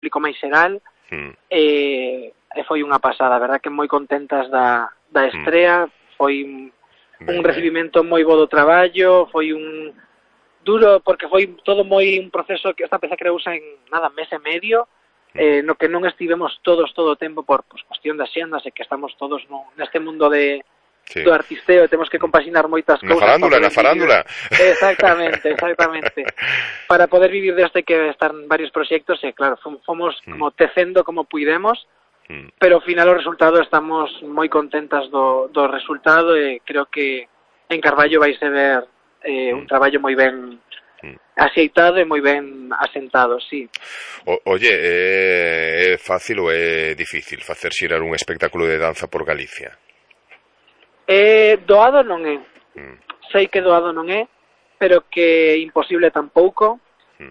público máis xeral, e foi unha pasada, a verdad que moi contentas da estrea, foi un recibimento moi bo do traballo, foi un duro, porque foi todo moi un proceso que esta peza creouse en nada, mes e medio, no que non estivemos todos todo o tempo por cuestión de xendas e que estamos todos neste mundo do artisteo, temos que compaxinar moitas cousas. Na farándula. Exactamente. Para poder vivir deste que están varios proxectos, e claro, fomos como tecendo como puidemos, pero ao final o resultado estamos moi contentas do resultado, e creo que en Carballo vai ser ver un traballo moi ben axeitado e moi ben asentado, sí. Oye, é fácil ou é difícil facer xirar un espectáculo de danza por Galicia? Doado non é. Sei que doado non é, pero que imposible tampouco.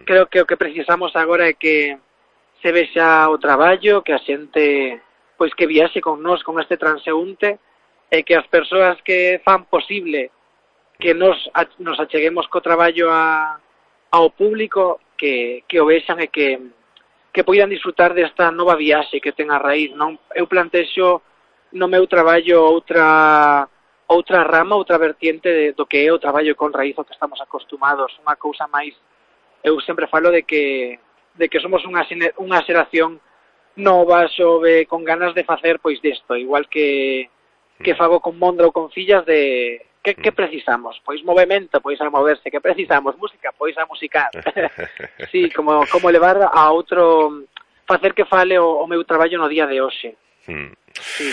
Creo que o que precisamos agora é que se vexa o traballo, que a xente pois que viaxe con nós, con este transeúnte, e que as persoas que fan posible que nos acheguemos co traballo ao público, que o vexan e que poidan disfrutar desta nova viaxe que ten a raíz, non? Eu plantexo no meu traballo outra rama, outra vertiente do que é o traballo con raíz ao que estamos acostumados, unha cousa máis. Eu sempre falo de que somos unha xeración nova, xove, con ganas de facer pois desto, igual que fago con Mondra ou con Fillas de que precisamos? Pois movemento, pois a moverse. Que precisamos? Música, pois a musicar. Sí, como levar a outro, facer que fale o meu traballo no día de hoxe. Sí.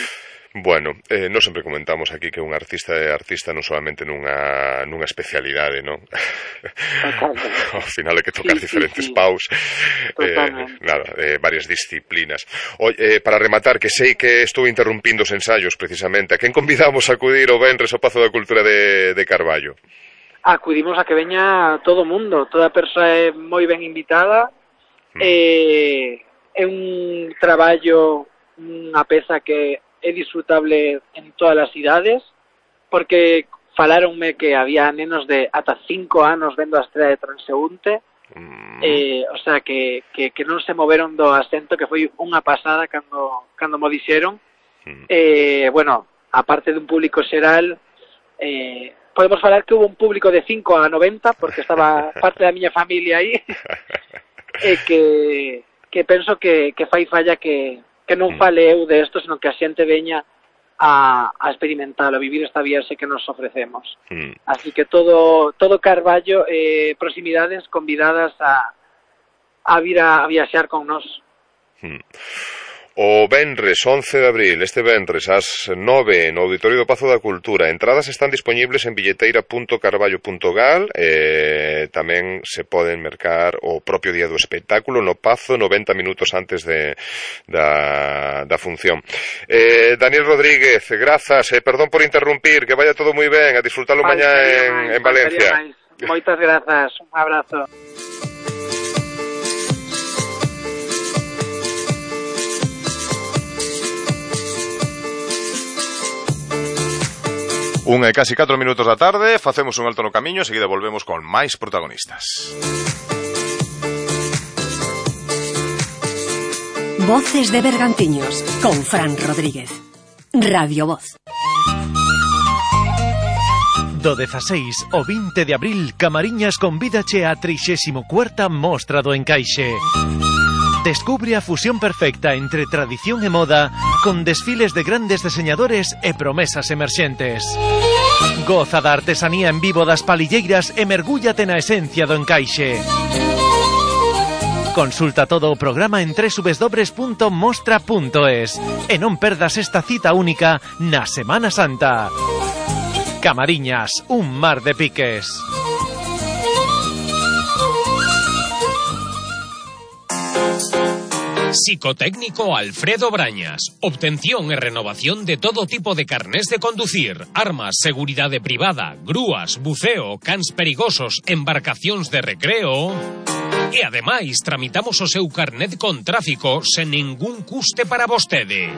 Bueno, nós sempre comentamos aquí que un artista é artista non solamente nunha especialidade, non? Ao final é que tocar diferentes paus, varias disciplinas. Para rematar, que sei que estou interrumpindo os ensaios precisamente, a quen convidamos a acudir o venres ao Pazo da Cultura de Carballo? Acudimos a que veña todo o mundo, toda persoa é moi ben invitada, é un traballo, unha peza que é disfrutable en todas as idades, porque falaronme que había nenos de ata 5 anos vendo a estrela de Transeúnte, o sea, que non se moveron do asento, que foi unha pasada cando mo dixeron. Bueno, aparte dun público xeral, podemos falar que hubo un público de 5 a 90, porque estaba parte da miña familia aí, e que penso que fai falla que non fale eu de esto, senón que a xente veña a experimentar, a vivir esta viaxe que nos ofrecemos. Así que todo Carballo, proximidades convidadas a vir a viaxar con nós. O venres 11 de abril, este venres ás 9 no Auditorio do Pazo da Cultura. Entradas están dispoñibles en billeteira.carballo.gal, tamén se poden mercar o propio día do espectáculo no Pazo 90 minutos antes da función. Daniel Rodríguez, grazas, perdón por interrumpir, que vaya todo moi ben, a disfrutalo mañá en Valencia. Moitas grazas, un abrazo. Unha e casi 4 minutos da tarde, facemos un alto no camiño, seguida volvemos con máis protagonistas. Voces de Bergantiños, con Fran Rodríguez. Radio Voz. Do 16 ao 20 de abril, Camariñas convídache a 34ª Mostra do Encaixe. Descubre a fusión perfecta entre tradición e moda, con desfiles de grandes diseñadores e promesas emerxentes. Goza da artesanía en vivo das palilleiras e mergúllate na esencia do encaixe. Consulta todo o programa en www.mostra.es e non perdas esta cita única na Semana Santa. Camariñas, un mar de piques. Psicotécnico Alfredo Brañas. Obtención e renovación de todo tipo de carnés de conducir, armas, seguridade privada, grúas, buceo, cans perigosos, embarcacións de recreo. E ademais tramitamos o seu carnet con tráfico sen ningún custe para vostede.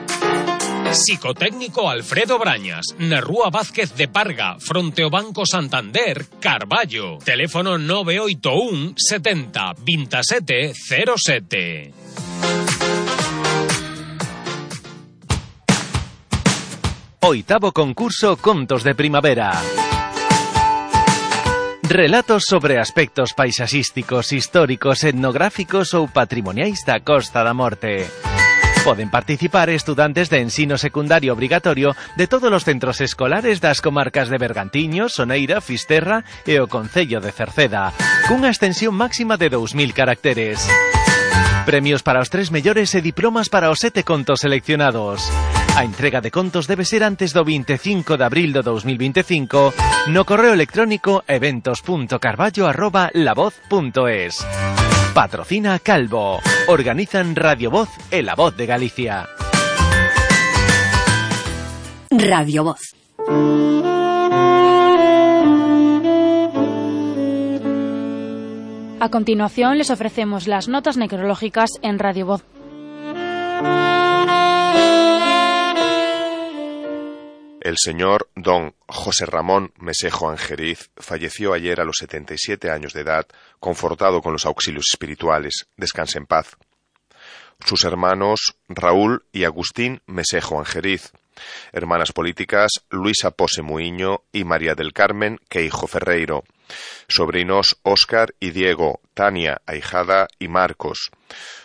Psicotécnico Alfredo Brañas, na Rúa Vázquez de Parga, fronte ao Banco Santander, Carballo. Teléfono 981 70 27 07. 8º concurso Contos de Primavera. Relatos sobre aspectos paisaxísticos, históricos, etnográficos ou patrimoniais da Costa da Morte. Poden participar estudantes de ensino secundario obrigatorio de todos os centros escolares das comarcas de Bergantiños, Soneira, Fisterra e o concello de Cerceda, cunha extensión máxima de 2000 caracteres. Premios para os 3 mellores e diplomas para os 7 contos seleccionados. A entrega de contos debe ser antes do 25 de abril do 2025 no correo electrónico eventos.carballo@lavoz.es. Patrocina Calvo. Organizan Radio Voz e La Voz de Galicia. Radio Voz. A continuación les ofrecemos las notas necrológicas en Radio Voz. El señor don José Ramón Mesejo Angeriz falleció ayer a los 77 años de edad, confortado con los auxilios espirituales. Descanse en paz. Sus hermanos Raúl y Agustín Mesejo Angeriz. Hermanas políticas Luisa Pose Muiño y María del Carmen Queijo Ferreiro. Sobrinos Óscar y Diego, Tania, ahijada y Marcos.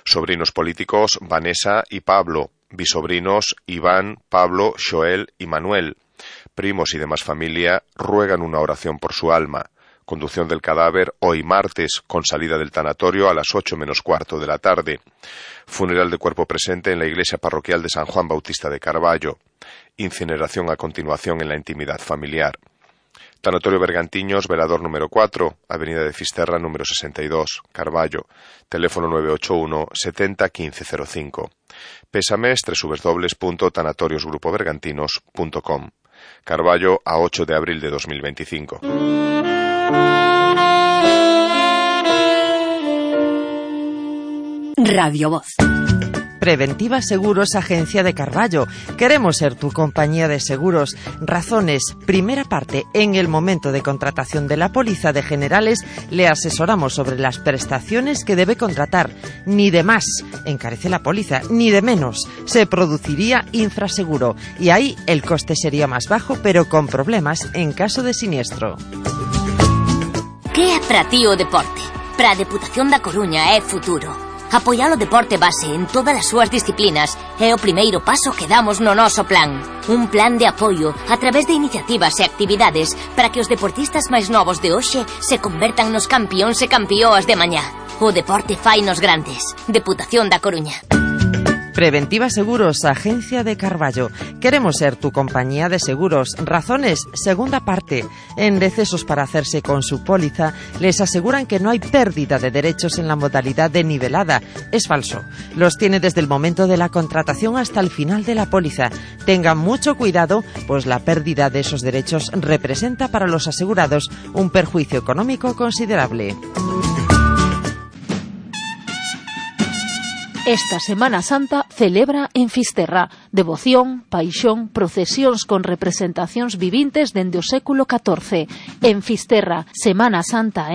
Sobrinos políticos Vanessa y Pablo. Bisobrinos Iván, Pablo, Joel y Manuel. Primos y demás familia ruegan una oración por su alma. Conducción del cadáver hoy martes, con salida del tanatorio a las 8 menos cuarto de la tarde. Funeral de cuerpo presente en la iglesia parroquial de San Juan Bautista de Carballo. Incineración a continuación en la intimidad familiar. Tanatorio Bergantiños, velador número 4, Avenida de Fisterra número 62, Carballo, teléfono 981 70 15 05. Pésames www.tanatoriosgrupobergantinos.com. Carballo a 8 de abril de 2025. Radio Voz. Preventiva Seguros, Agencia de Carballo. Queremos ser tu compañía de seguros. Razones. Primera parte. En el momento de contratación de la póliza de generales, le asesoramos sobre las prestaciones que debe contratar. Ni de más encarece la póliza, ni de menos. Se produciría infraseguro. Y ahí el coste sería más bajo, pero con problemas en caso de siniestro. Que é para ti o deporte? Para a Deputación da Coruña é futuro. Apoiar o deporte base en todas as súas disciplinas é o primeiro paso que damos no noso plan. Un plan de apoio a través de iniciativas e actividades para que os deportistas máis novos de hoxe se convertan nos campións e campióas de mañá. O deporte fainos grandes. Deputación da Coruña. Preventiva Seguros, Agencia de Carballo. Queremos ser tu compañía de seguros. Razones, segunda parte. En decesos para hacerse con su póliza, les aseguran que no hay pérdida de derechos en la modalidad de nivelada. Es falso. Los tiene desde el momento de la contratación hasta el final de la póliza. Tengan mucho cuidado, pues la pérdida de esos derechos representa para los asegurados un perjuicio económico considerable. Esta Semana Santa celebra en Fisterra devoción, paixón, procesións con representacións vivintes dende o século XIV. En Fisterra, Semana Santa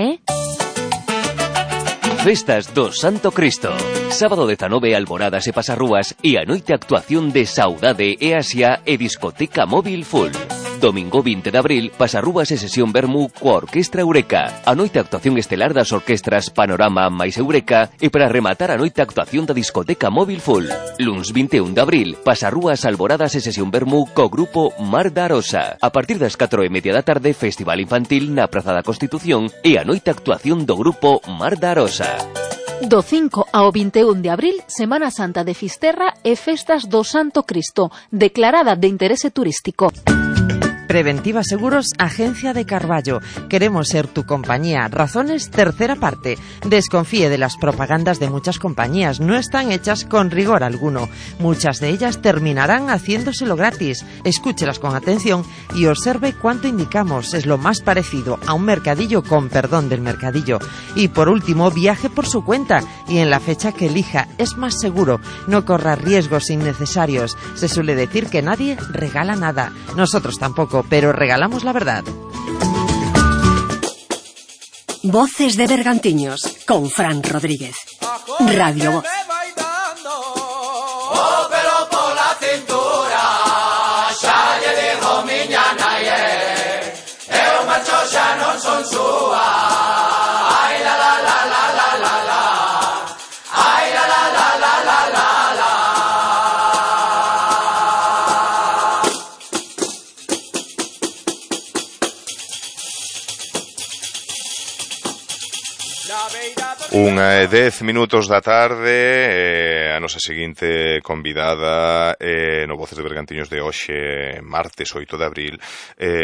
Festas do Santo Cristo. Sábado 19, alboradas e pasarrúas e a noite actuación de Saudade e Asia e discoteca móvil full. Domingo 20 de abril, pasarrúas e sesión vermú coa Orquestra Eureka. A noite actuación estelar das orquestras Panorama máis Eureka e para rematar a noite actuación da discoteca móvil full. Luns 21 de abril, pasarrúas, alboradas e sesión vermú co grupo Mar da Arosa. A partir das 4:30 da tarde, festival infantil na Praza da Constitución e a noite actuación do grupo Mar da Arosa. Do 5 ao 21 de abril, Semana Santa de Fisterra e Festas do Santo Cristo, declarada de interese turístico. Preventiva Seguros, Agencia de Carballo. Queremos ser tu compañía. Razones, tercera parte. Desconfíe de las propagandas de muchas compañías. No están hechas con rigor alguno. Muchas de ellas terminarán haciéndoselo gratis. Escúchelas con atención y observe cuánto indicamos. Es lo más parecido a un mercadillo con perdón del mercadillo. Y por último, viaje por su cuenta y en la fecha que elija. Es más seguro. No corra riesgos innecesarios. Se suele decir que nadie regala nada. Nosotros tampoco, pero regalamos la verdad. Voces de Bergantiños con Fran Rodríguez. Radio Voz. Oh, pero por la cintura, son súa. Ai la la la la la la la. Ai la la la la la la la. Unha e 10 minutos da tarde, a nosa seguinte convidada no Voces de Bergantiños de hoxe, martes 8 de abril,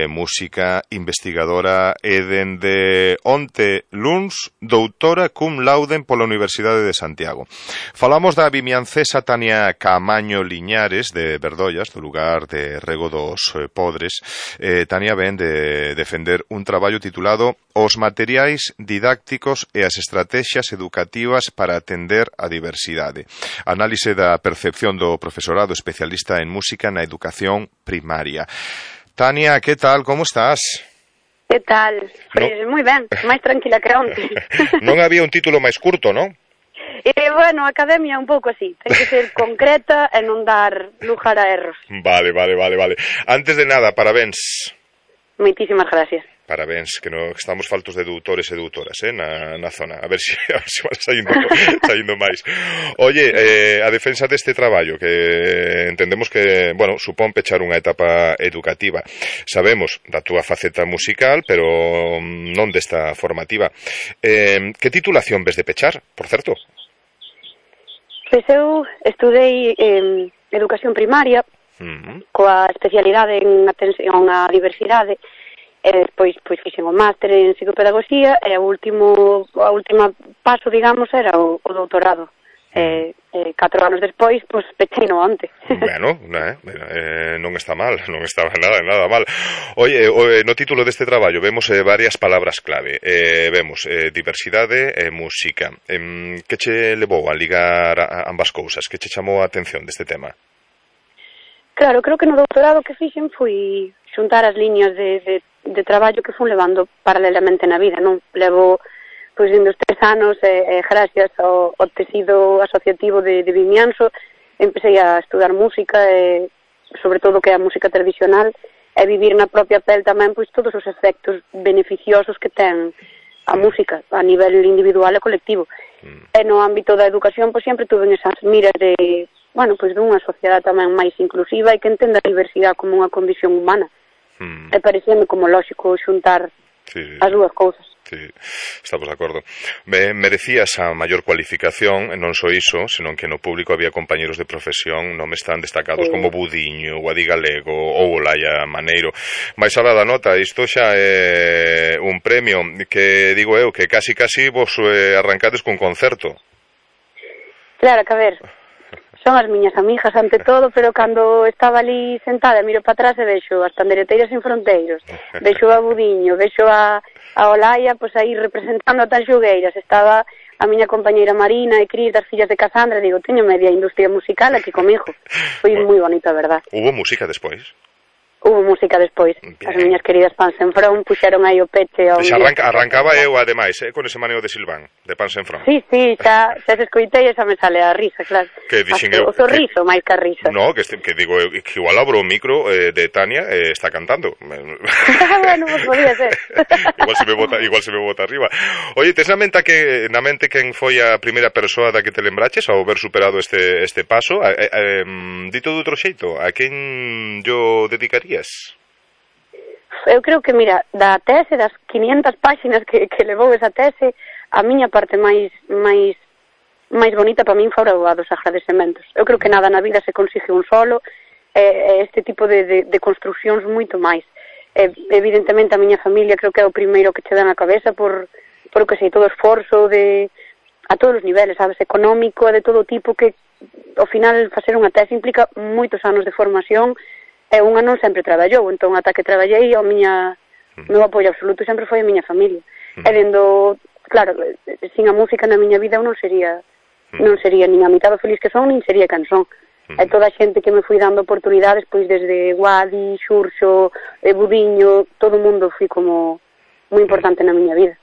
música investigadora e dende onte luns, doutora cum laude pola Universidade de Santiago. Falamos da vimiancesa Tania Caamaño Liñares de Verdollas, do lugar de Rego dos Podres. Tania ven de defender un traballo titulado Os materiais didácticos e as estrategias educativas para atender a diversidade. Análise da percepción do profesorado especialista en música na educación primaria. Tania, que tal? Como estás? Que tal? Pois moi ben, máis tranquila que onte. Non había un título máis curto, non? Bueno, a academia un pouco así. Ten que ser concreta e non dar lugar a erros. Vale. Antes de nada, parabéns. Moitísimas gracias. Parabéns, que estamos faltos de doutores e doutoras, na zona. A ver se van saindo máis. Oye, a defensa deste traballo, que entendemos que, bueno, supón pechar unha etapa educativa. Sabemos da túa faceta musical, pero non desta formativa. Que titulación ves de pechar, por certo? Pois eu estudei educación primaria, coa especialidade en atención á diversidade, e despois fixen o máster en psicopedagogía e o último paso, digamos, era o doutorado. 4 anos despois, pechei no onte. Bueno, non está mal, non estaba nada mal. Oye, no título deste traballo vemos varias palabras clave. Vemos diversidade e música. Que che levou a ligar ambas cousas? Que che chamou a atención deste tema? Claro, creo que no doutorado que fixen foi xuntar as liñas de traballo que fun levando paralelamente na vida, non? Levo, dende os 3 anos, gracias ao tecido asociativo de Vimianzo, empecé a estudar música, e sobre todo que é a música tradicional, e vivir na propia pel tamén, todos os efectos beneficiosos que ten a música a nivel individual e colectivo. E no ámbito da educación, sempre tuve esas miras de, dunha sociedade tamén máis inclusiva e que entenda a diversidade como unha condición humana. E parecíame como lógico xuntar as dúas cousas. Sí, estamos de acordo. Merecías a maior cualificación, non só iso, senón que no público había compañeros de profesión nomes tan destacados como Budiño, Guadi Galego ou Olaya Maneiro. Mais alá da nota, isto xa é un premio que, digo eu, que casi vos arrancades cun concerto. Claro, que a ver, son as miñas amigas ante todo, pero cando estaba ali sentada e miro para atrás e vexo as Pandereteiras Sin Fronteiros, vexo a Budiño, vexo a Olaya, aí representando a Tanxugueiras, estaba a miña compañeira Marina e Cris das Fillas de Casandra, digo, teño media industria musical aquí comigo. Foi moi bonito, a verdad. Hubo música despois? Hubo música despois. As miñas queridas Pans en Front puxeron aí o peche ao... Arrancaba eu, ademais, con ese maneo de Silván, de Pans en Front. Sí, xa se escoitei e xa me sale a risa, claro. Que dixen eu... O sorriso, máis que a risa. No, que digo eu, que igual abro o micro de Tania está cantando. Bueno, podía ser. igual se me bota arriba. Oye, tes na mente quen foi a primeira persoa da que te lembraches ao ver superado este paso? Dito de outro xeito, a quen yo dedicaría? Eu creo que, mira, da tese, das 500 páxinas que levou esa tese, a miña parte máis bonita para min fora a dos agradecementos. Eu creo que nada na vida se consigue un solo, este tipo de construcións moito máis. Evidentemente a miña familia creo que é o primeiro que che dá na cabeza por que sei, todo o esforzo a todos os niveles, sabes, económico e de todo tipo, que ao final facer unha tese implica moitos anos de formación. E unha non sempre traballou, entón ata que traballei o meu apoio absoluto sempre foi a miña familia. E dendo, claro, sin a música na miña vida eu non sería nin a mitad feliz que son, nin sería quen son. E toda a xente que me fui dando oportunidades, pois desde Guadi, Xurxo, Budiño, todo o mundo foi como moi importante na miña vida.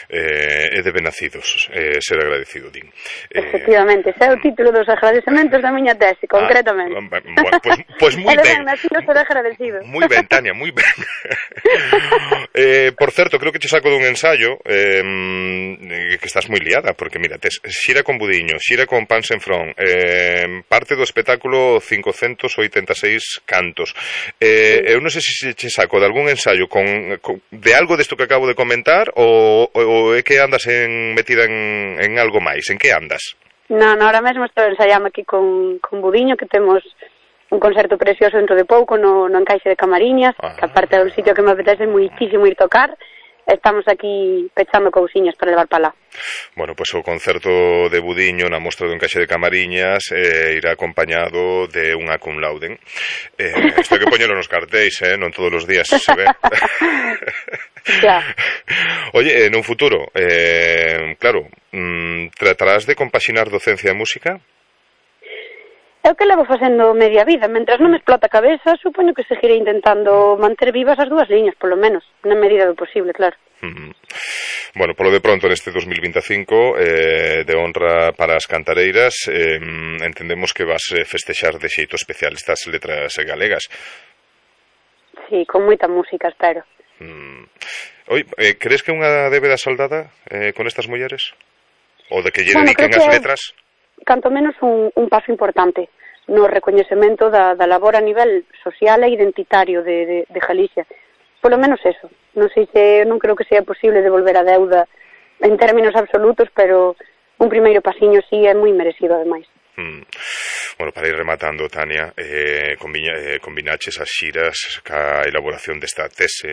É de benacidos ser agradecido, din. Efectivamente, ese é o título dos agradecementos da miña tese, concretamente. Pois moi ben. Nacido ser agradecido. Moi ben, Tania, moi ben. Por certo, creo que che saco dun ensayo que estás moi liada, porque mira, tes xira con Budiño, xira con Pan Sen Front, parte do espectáculo 586 cantos. Eu non sei se che saco de algún ensayo de algo desto que acabo de comentar ou é que andas metida en algo máis? En que andas? Non, ahora mesmo estou ensaiando aquí con Budiño, que temos un concerto precioso dentro de pouco no Encaixe de Camariñas, que aparte é un sitio que me apetece muitísimo ir tocar. Estamos aquí pechando cousiñas para levar para lá. Bueno, pois o concerto de Budiño na mostra do Encaixe de Camariñas irá acompañado de unha cum laude. Isto hai que poñelo nos cartéis, non todos os días se ve. Ya. Oye, nun futuro, claro, tratarás de compaxinar docencia e música? É o que levo facendo media vida. Mentras non me explota a cabeza, supoño que seguiré intentando manter vivas as dúas liñas, polo menos, na medida do posible, claro. Bueno, polo de pronto, neste 2025, de honra para as cantareiras, entendemos que vas festexar de xeito especial estas letras galegas. Sí, con moita música, espero. Oi, crees que unha débeda saldada con estas mulleres? Ou de que lle dediquen as letras? Canto menos un paso importante no recoñecemento da labor a nivel social e identitario de Galicia. Polo menos eso. Non sei se, non creo que sea posible devolver a deuda en términos absolutos, pero un primeiro pasiño sí é moi merecido, ademais. Bueno, para ir rematando, Tania, combinaches as xiras ca elaboración desta tese,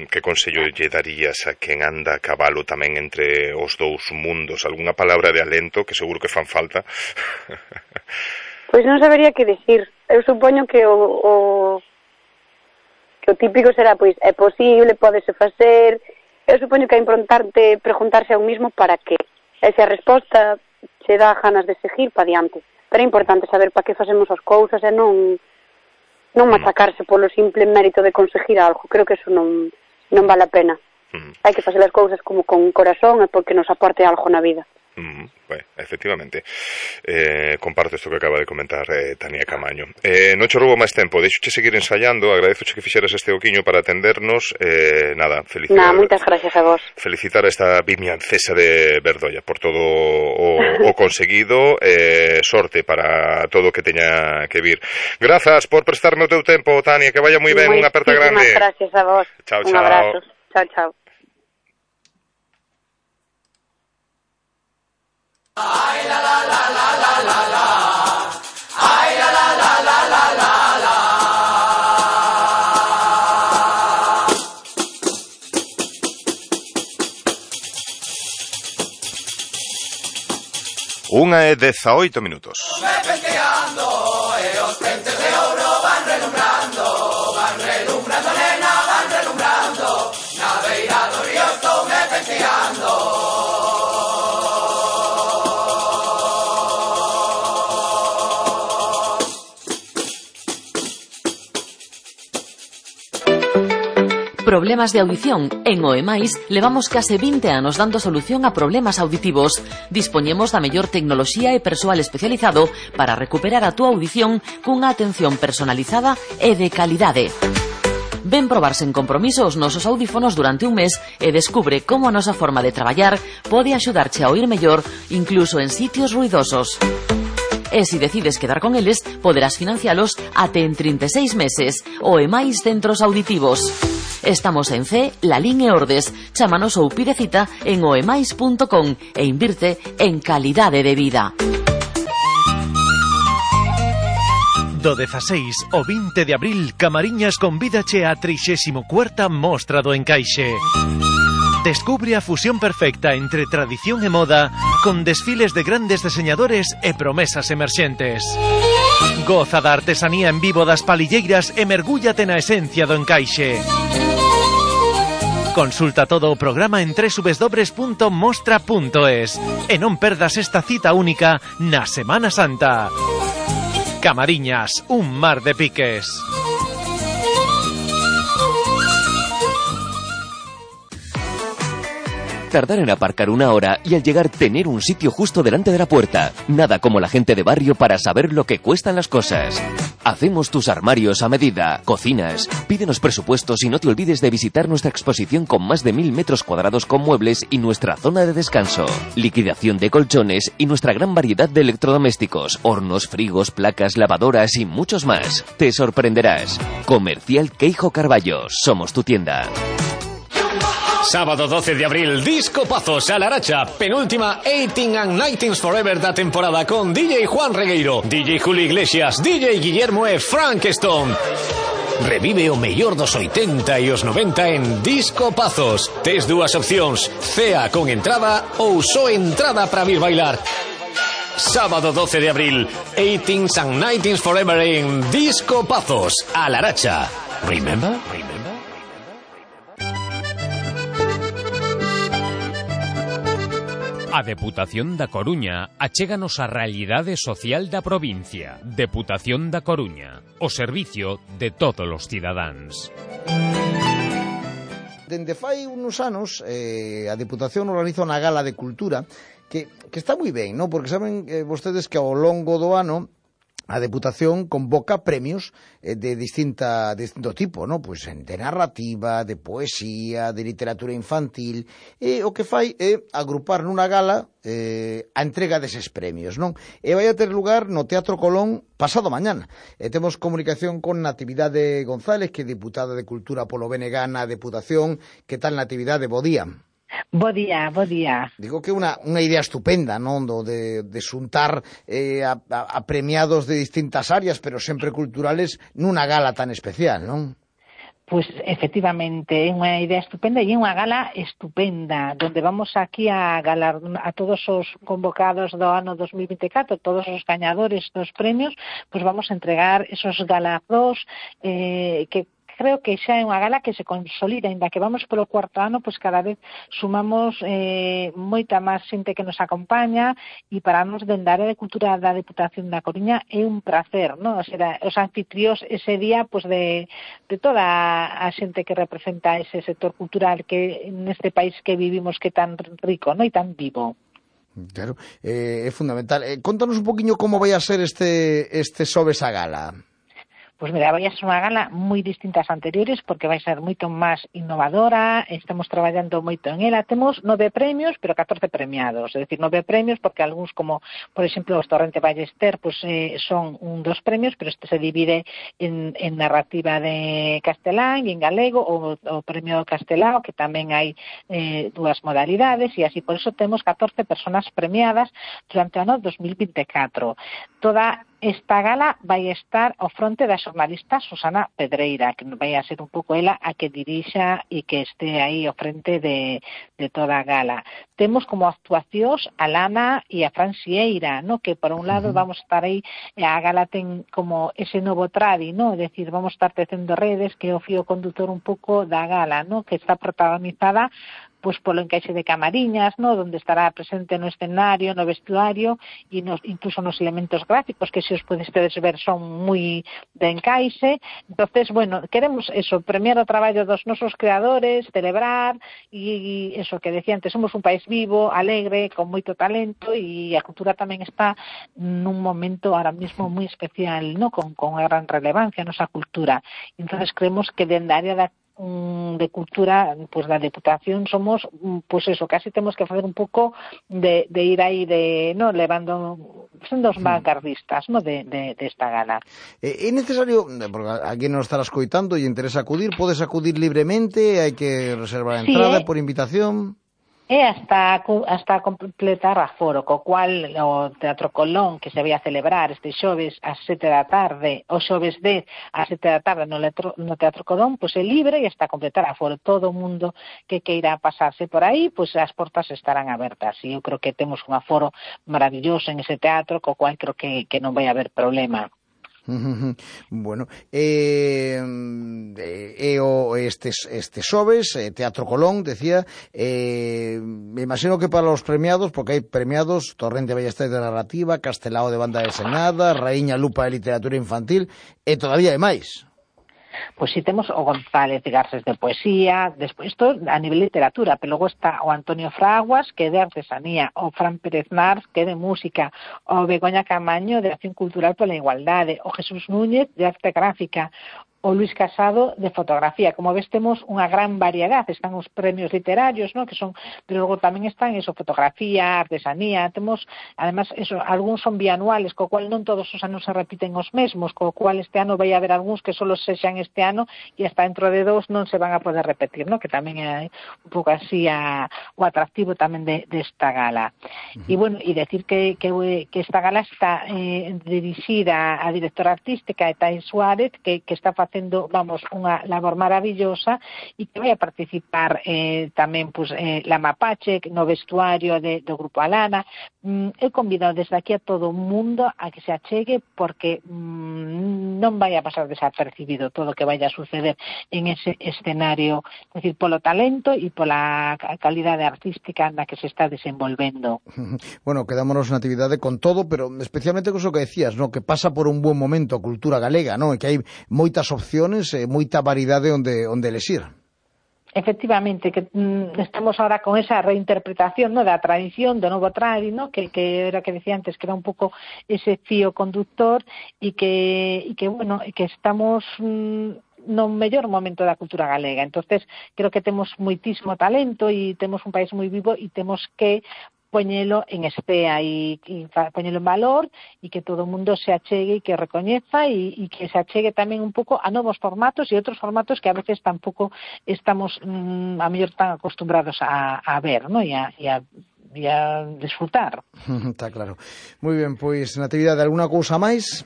que consello lle darías a quen anda a cabalo tamén entre os dous mundos? Algunha palabra de alento que seguro que fan falta? Pois non sabería que dicir. Eu supoño que o típico será, pois, é posible, pódese facer. Eu supoño que é importante preguntarse a un mismo para que. E se a resposta se dá ganas de seguir para diante. Pero é importante saber para que facemos as cousas e non machacarse polo simple mérito de conseguir algo. Creo que eso non vale a pena. Hai que facer as cousas como con corazón e porque nos aporte algo na vida. Bueno, efectivamente, comparto isto que acaba de comentar Tania Camaño. Non che roubo máis tempo, deixoche seguir ensaiando. Agradezoche que fixeras este oquiño para atendernos. Nada, felicitar. Moitas gracias a vos. Felicitar a esta vimiancesa de Verdoia por todo o conseguido. Sorte para todo o que teña que vir. Grazas por prestarme o teu tempo, Tania, que vaya moi ben. Unha aperta grande. Moitísimas gracias a vos. Chao, Un abrazo. Chao, chao. Ay la la la la la la la. Ay la la la la la la la. Unha e 18 minutos. Penteando, os pentes de ouro van relumbrando, nena, van relumbrando. Na beira do río estou me penteando. Problemas de audición. En OEMAIS levamos case 20 anos dando solución a problemas auditivos. Dispoñemos da mellor tecnoloxía e persoal especializado para recuperar a túa audición cunha atención personalizada e de calidade. Ven probar sen compromiso os nosos audífonos durante un mes e descubre como a nosa forma de traballar pode axudarche a oír mellor incluso en sitios ruidosos. E se decides quedar con eles, poderás financialos até en 36 meses. OEMAIS Centros Auditivos. Estamos en C, Lalín e Ordes. Chámanos ou pide cita en oemais.com e invirte en calidade de vida. Do 16 ao 20 de abril, Camariñas convídache á 34ª Mostra do Encaixe. Descubre a fusión perfecta entre tradición e moda con desfiles de grandes diseñadores e promesas emerxentes. Goza da artesanía en vivo das palilleiras e mergúllate na esencia do Encaixe. Consulta todo o programa en www.mostra.es e non perdas esta cita única na Semana Santa. Camariñas, un mar de piques. Tardar en aparcar 1 hora y al llegar tener un sitio justo delante de la puerta. Nada como la gente de barrio para saber lo que cuestan las cosas. Hacemos tus armarios a medida, cocinas. Pídenos presupuestos y no te olvides de visitar nuestra exposición con más de 1000 metros cuadrados con muebles y nuestra zona de descanso. Liquidación de colchones y nuestra gran variedad de electrodomésticos, hornos, frigos, placas, lavadoras y muchos más. Te sorprenderás. Comercial Queijo Carballo. Somos tu tienda. Sábado 12 de abril, Disco Pazos a Laracha, penúltima 18 and 19 Forever da temporada con DJ Juan Regueiro, DJ Julio Iglesias, DJ Guillermo e Frankenstone. Revive o mellor dos 80 e os 90 en Disco Pazos. Tes 2 opcións, cea con entrada ou só entrada para vir bailar. Sábado 12 de abril, 18 and 19 Forever en Disco Pazos a Laracha. Remember? A Deputación da Coruña achéganos a realidade social da provincia. Deputación da Coruña, o servicio de todos os cidadáns. Dende fai uns anos, a Deputación organiza unha gala de cultura que está moi ben, non? Porque saben vostedes que ao longo do ano a Deputación convoca premios de distinto tipo, ¿no? Pues de narrativa, de poesía, de literatura infantil, e o que fai é agrupar nunha gala a entrega deses premios, non? E vai a ter lugar no Teatro Colón pasado mañana. Temos comunicación con Natividade González, que é diputada de Cultura polo BNG na Deputación. Que tal, Natividade? Bo día. Bo día, bo día. Digo que é unha idea estupenda, non? De xuntar a premiados de distintas áreas, pero sempre culturales, nunha gala tan especial, non? Pois, efectivamente, é unha idea estupenda e é unha gala estupenda, donde vamos aquí a galar a todos os convocados do ano 2024, todos os gañadores dos premios, pois vamos a entregar esos galardos que creo que xa é unha gala que se consolida, ainda que vamos polo 4º ano, pois cada vez sumamos moita máis xente que nos acompaña, e para nos dende a área de cultura da Deputación da Coruña é un placer, non? O sea, os anfitrións ese día, pois de toda a xente que representa ese sector cultural que neste país que vivimos, que é tan rico, non? E tan vivo. Claro, é fundamental. Contanos un poquinho como vai a ser este xoves a gala. Pois mira, vai a ser unha gala moi distinta ás anteriores, porque vai ser moito máis innovadora, estamos traballando moito en ela. Temos 9 premios, pero 14 premiados, é dicir, 9 premios, porque algúns, como, por exemplo, os Torrente Ballester, pois son dos premios, pero este se divide en narrativa de castelán e en galego, o premio castelao, que tamén hai 2 modalidades, e así, por eso temos 14 personas premiadas durante o ano 2024. Toda esta gala vai estar ao fronte da xornalista Susana Pedreira, que vai a ser un pouco ela a que dirixa e que este aí ao frente de toda a gala. Temos como actuacións a Lana e a Fran Sieira, no? Que por un lado vamos a estar aí, a gala ten como ese novo tradi, no? É dicir, vamos a estar tecendo redes, que é o fío condutor un pouco da gala, no? Que está protagonizada pois polo encaixe de Camariñas, no, onde estará presente no escenario, no vestuario e incluso nos elementos gráficos, que se os podes ver son moi de encaixe. Entonces, bueno, queremos eso, premiar o traballo dos nosos creadores, celebrar e eso que decía antes, somos un país vivo, alegre, con moito talento, e a cultura tamén está nun momento ahora mismo moi especial, no, con unha gran relevancia a nosa cultura. Entonces creemos que dende a área de cultura, pues da Deputación somos, pues eso, casi temos que facer un pouco de ir aí no levando, sendo os vanguardistas, no, de esta gala. É necesario, porque aquí nos estará escoitando e interesa acudir, podes acudir libremente, hai que reservar a entrada por invitación? É hasta completar aforo, co cual o Teatro Colón, que se vai a celebrar este xoves ás 7 da tarde, o xoves 10 ás 7 da tarde no Teatro Colón, pois é libre e hasta completar aforo. Todo o mundo que queira pasarse por aí, pois as portas estarán abertas. E eu creo que temos un aforo maravilloso en ese teatro, co cual creo que non vai haber problema. Bueno, este xoves, Teatro Colón, decía, me imagino que para os premiados, porque hai premiados Torrente Ballester de narrativa, Castelao de banda desenhada, Raíña Lupa de literatura infantil, e todavía hai máis. Pois si temos o González de Garces de poesía, despois isto a nivel literatura, pero logo está o Antonio Fraguas, que é de artesanía, o Fran Pérez Nars, que é de música, o Begoña Camaño, de Acción Cultural pola Igualdade, o Jesús Núñez, de arte gráfica, o Luis Casado de fotografía. Como ves, temos unha gran variedade. Están os premios literarios, ¿no? Que son, pero logo tamén están eso, fotografía, artesanía. Temos, además, eso, algúns son bianuales, co cual non todos os anos se repiten os mesmos, co cual este ano vai haber algúns que solo sexan este ano e hasta dentro de 2 non se van a poder repetir, ¿no? Que tamén é un pouco así o atractivo tamén desta gala. E bueno, e decir que esta gala está dirixida a directora artística Etai Suárez, que está facendo, vamos, unha labor maravillosa e que vai a participar tamén pues, la Mapache no vestuario do Grupo Alana. Eu convido desde aquí a todo o mundo a que se achegue porque non vai a pasar desapercibido todo o que vai a suceder en ese escenario, es decir, polo talento e pola calidade artística na que se está desenvolvendo. Bueno, quedámonos na actividade con todo, pero especialmente con eso que decías, ¿no? Que pasa por un buen momento a cultura galega, ¿no? E que hai moitas opciones, moita variedade onde elegir. Efectivamente, que estamos ahora con esa reinterpretación, ¿no? Da tradición, do novo tradi, ¿no? Que era que decía antes, que era un pouco ese fío conductor e que bueno, que estamos no mellor momento da cultura galega. Entonces, creo que temos moitísimo talento e temos un país moi vivo e temos que poñelo en estea e poñelo en valor e que todo o mundo se achegue e que recoñeza e que se achegue tamén un pouco a novos formatos e outros formatos que a veces tampouco estamos a mellor tan acostumbrados a ver, ¿no? E a desfrutar. Está claro. Moi ben, pois, Natividade, alguna cousa máis?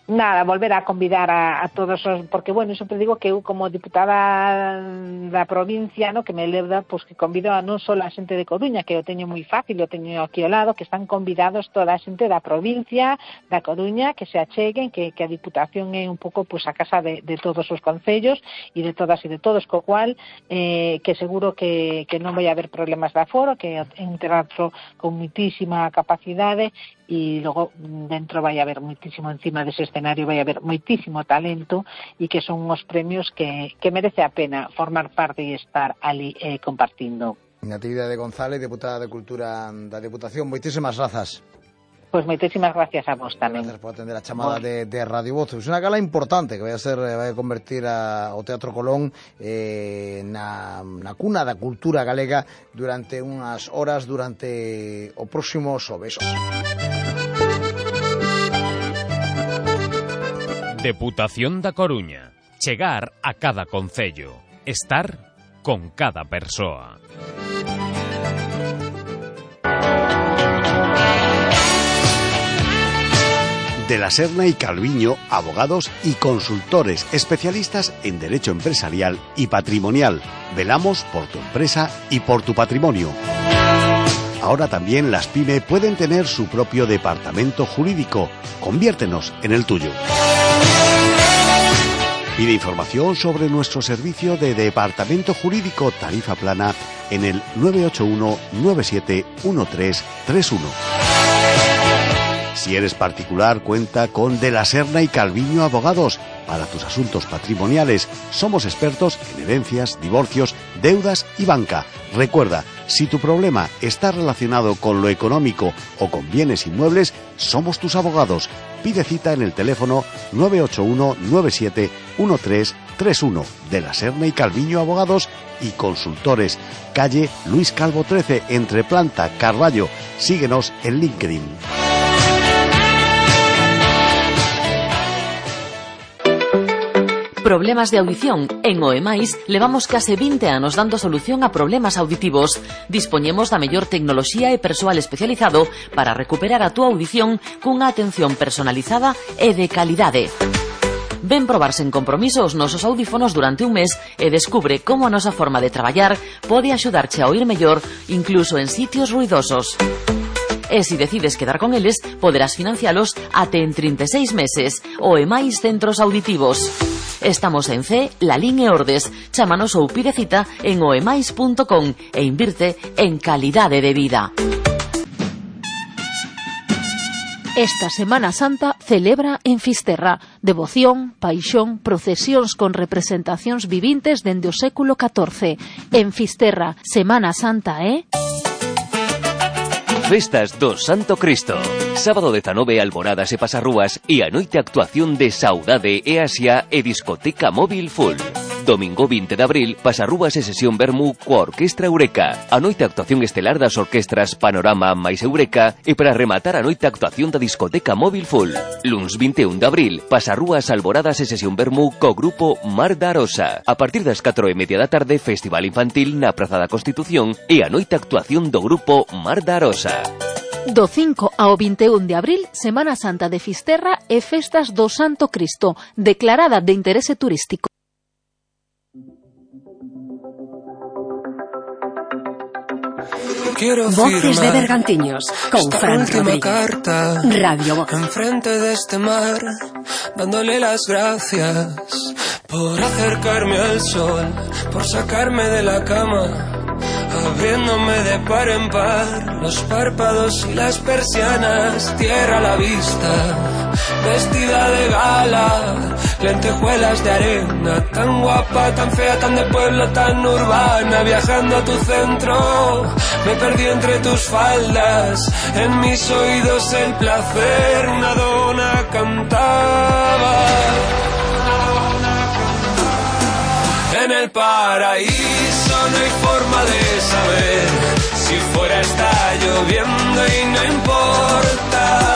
Nada, volver a convidar a todos os, porque, bueno, sempre digo que eu como diputada da provincia, no, que me leva, pues, que convido a non só a xente de Coruña, que o teño moi fácil, o teño aquí ao lado, que están convidados toda a xente da provincia, da Coruña, que se acheguen, que a Diputación é un pouco, pues, a casa de todos os concellos e de todas e de todos, co cual, que seguro que non vai haber problemas de aforo, que é un teatro con muitísima capacidade e logo dentro vai haber muitísimo, encima dese escenario vai haber moitísimo talento e que son uns premios que merece a pena formar parte e estar ali compartindo. Natividade González, deputada de Cultura da Deputación, moitísimas grazas. Pois moitísimas gracias a vos tamén. Gracias por atender a chamada de Radio Voz. É unha gala importante que vai a convertir o Teatro Colón na cuna da cultura galega durante unhas horas durante o próximo xoves. Deputación da Coruña. Chegar a cada concello. Estar con cada persoa. De la Serna y Calviño, abogados y consultores especialistas en derecho empresarial y patrimonial. Velamos por tu empresa y por tu patrimonio. Ahora también las PYME pueden tener su propio departamento jurídico. Conviértenos en el tuyo. Pide información sobre nuestro servicio de departamento jurídico tarifa plana en el 981 971331. Si eres particular, cuenta con De la Serna y Calviño Abogados. Para tus asuntos patrimoniales, somos expertos en herencias, divorcios, deudas y banca. Recuerda, si tu problema está relacionado con lo económico o con bienes inmuebles, somos tus abogados. Pide cita en el teléfono 981 971331. De la Serna y Calviño Abogados y Consultores. Calle Luis Calvo 13, entre Planta, Carballo. Síguenos en LinkedIn. Problemas de audición. En OEMAIS levamos case 20 anos dando solución a problemas auditivos. Dispoñemos da mellor tecnoloxía e persoal especializado para recuperar a túa audición cunha atención personalizada e de calidade. Ven probar sen compromiso os nosos audífonos durante un mes e descubre como a nosa forma de traballar pode axudarche a oír mellor incluso en sitios ruidosos. E se decides quedar con eles, poderás financialos até en 36 meses. OEMAIS Centros Auditivos. Estamos en C, Lalín e Ordes. Chámanos ou pide cita en oemais.com e invirte en calidade de vida. Esta Semana Santa celebra en Fisterra devoción, paixón, procesións con representacións vivintes dende o século XIV. En Fisterra, Semana Santa é... Festas do Santo Cristo. Sábado 19, alboradas e pasarrúas e a noite actuación de Saudade e Asia e discoteca móvil full. Domingo 20 de abril, pasarrúas e sesión vermú coa Orquestra Eureka. A noite actuación estelar das orquestras Panorama máis Eureka e para rematar a noite actuación da discoteca móvil full. Luns 21 de abril, pasarrúas, alboradas e sesión vermú co grupo Mar da Arosa. A partir das 4:30 da tarde, festival infantil na Praza da Constitución e a noite actuación do grupo Mar da Arosa. Do 5 ao 21 de abril, Semana Santa de Fisterra e Festas do Santo Cristo, declarada de interese turístico. Voces de Bergantiños con Fran Rodríguez. Carta, Radio Voz. enfrente de este mar, dándole las gracias por acercarme al sol, por sacarme de la cama, abriéndome de par en par los párpados y las persianas, tierra a la vista, vestida de gala, lentejuelas de arena, tan guapa, tan fea, tan de pueblo, tan urbana, viajando a tu centro, me perdí entre tus faldas, en mis oídos el placer, una dona cantaba. En el paraíso no hay forma de saber si fuera está lloviendo y no importa.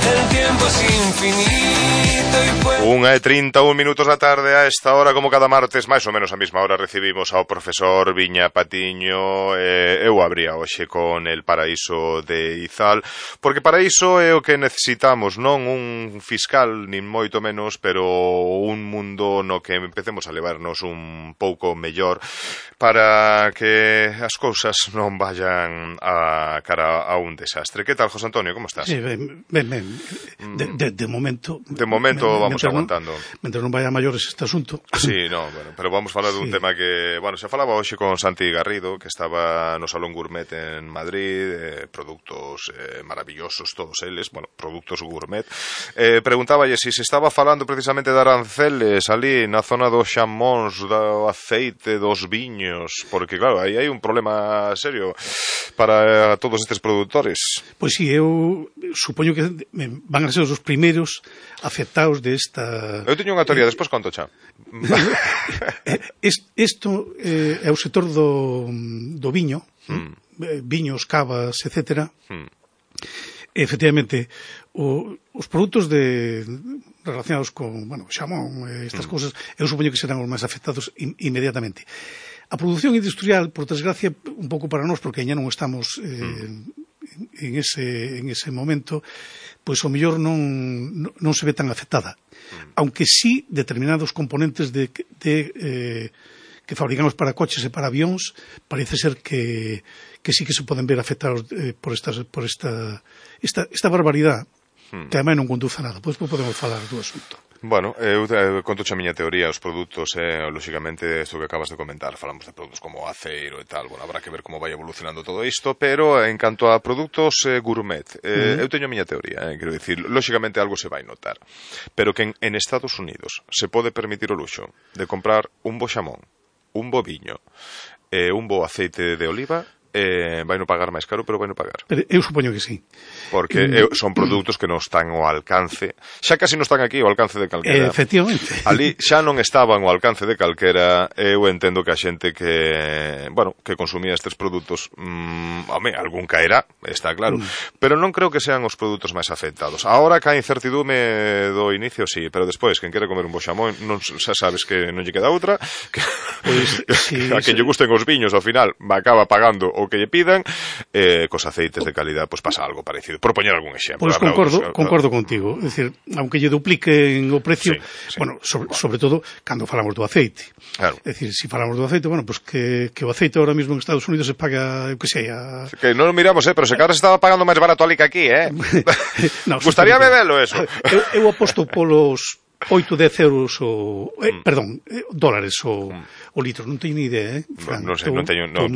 El tiempo es infinito y puede... 1:31 da tarde. A esta hora, como cada martes, máis ou menos a mesma hora, recibimos ao profesor Viña Patiño. Eu abría hoxe con El Paraíso de Izal, porque para iso é o que necesitamos, non un fiscal, nin moito menos, pero un mundo no que empecemos a levarnos un pouco mellor para que as cousas non vayan a cara a un desastre. Que tal, José Antonio, como estás? Sí, ben. De momento... De momento vamos aguantando. Mentre non vaya a maiores este asunto. Sí, no, bueno, pero vamos falar dun tema que, bueno, se falaba hoxe con Santi Garrido, que estaba no Salón Gourmet en Madrid, produtos maravillosos todos eles, bueno, productos gourmet. Preguntáballe se estaba falando precisamente de aranceles ali na zona dos xamóns, do aceite, dos viños, porque claro, aí hai un problema serio para todos estes produtores. Pois sí, eu supoño que van a ser os primeiros afectados desta... Eu teño unha teoría, despois conto xa. Isto é o sector do viño, viños, cavas, etc. Efectivamente, os produtos relacionados con, bueno, xamón, estas cousas, eu supoño que serán os máis afectados inmediatamente. A produción industrial, por desgracia, un pouco para nós, porque ainda non estamos en ese momento, pois o mellor non se ve tan afectada. Aunque sí determinados componentes que fabricamos para coches e para avións, parece ser que sí que se poden ver afectados por esta barbaridade, que ademais non conduce a nada. Pois podemos falar do asunto. Bueno, eu conto a miña teoría, os produtos, lógicamente, isto que acabas de comentar, falamos de produtos como aceiro e tal, bueno, habrá que ver como vai evolucionando todo isto, pero en canto a produtos gourmet, eu teño a miña teoría, quero dicir, lógicamente algo se vai notar, pero que en Estados Unidos se pode permitir o luxo de comprar un bo xamón, un bo viño, un bo aceite de oliva, vai non pagar máis caro, pero vai non pagar. Pero eu supoño que sí. Porque son produtos que non están ao alcance, xa casi non están aquí ao alcance de calquera. Efectivamente. Ali xa non estaban ao alcance de calquera. Eu entendo que a xente que, bueno, que consumía estes produtos, algún caerá, está claro, pero non creo que sean os produtos máis afectados. Ahora que a incertidume do inicio, sí, pero despois, quen quere comer un bo xamón, xa sabes que non lle queda outra, que pues, sí, a quen lle gusten os viños, ao final, acaba pagando o que lle pidan, cos aceites de calidad, pois pasa algo parecido. Por poñer algún exemplo. Pois concordo contigo. É dicir, aunque lle dupliquen o precio, bueno, sobre todo, cando falamos do aceite. Claro. É dicir, se falamos do aceite, bueno, pois que o aceite ahora mesmo en Estados Unidos se paga, que sei, que non o miramos, pero se cada se estaba pagando máis barato ali que aquí, no, gustaría bebelo eso. Eu aposto polos 8-10 euros dólares o litro, non teño ni idea, Fran. Non sei, non teño, non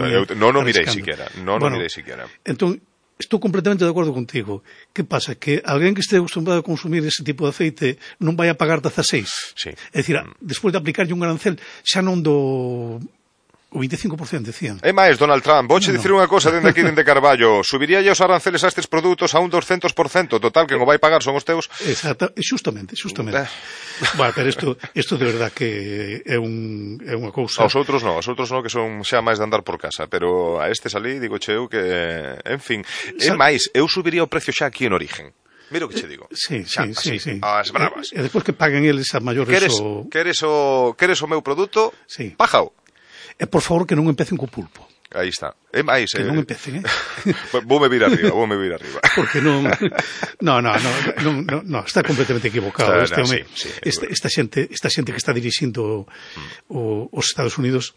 mirei siquiera. Entón, Estou completamente de acordo contigo. Que pasa? Que alguén que este acostumbrado a consumir ese tipo de aceite non vai a pagar 16. Sí. É dicir, despois de aplicarlle un arancel, xa non do o 25%, decían. É máis, Donald Trump, vouche dicir unha cosa dende aquí, dende Carballo. Subiríalle os aranceles a estes produtos a un 200%. Total, que non vai pagar son os teus. Exacto, justamente. Bueno, pero isto de verdad que é unha cousa... Aos outros non, que son xa máis de andar por casa, pero a estes ali, digo eu que, en fin, é máis, eu subiría o precio xa aquí en origen. Mira o que che digo. Sí. As bravas. E despois que paguen eles a maiores Queres o meu produto? Sí. Pájao. E por favor que non empecen co pulpo. Aí está. É máis, que non empecen, Voume vir arriba. Porque non, está completamente equivocado este home. Esta xente que está dirixindo os Estados Unidos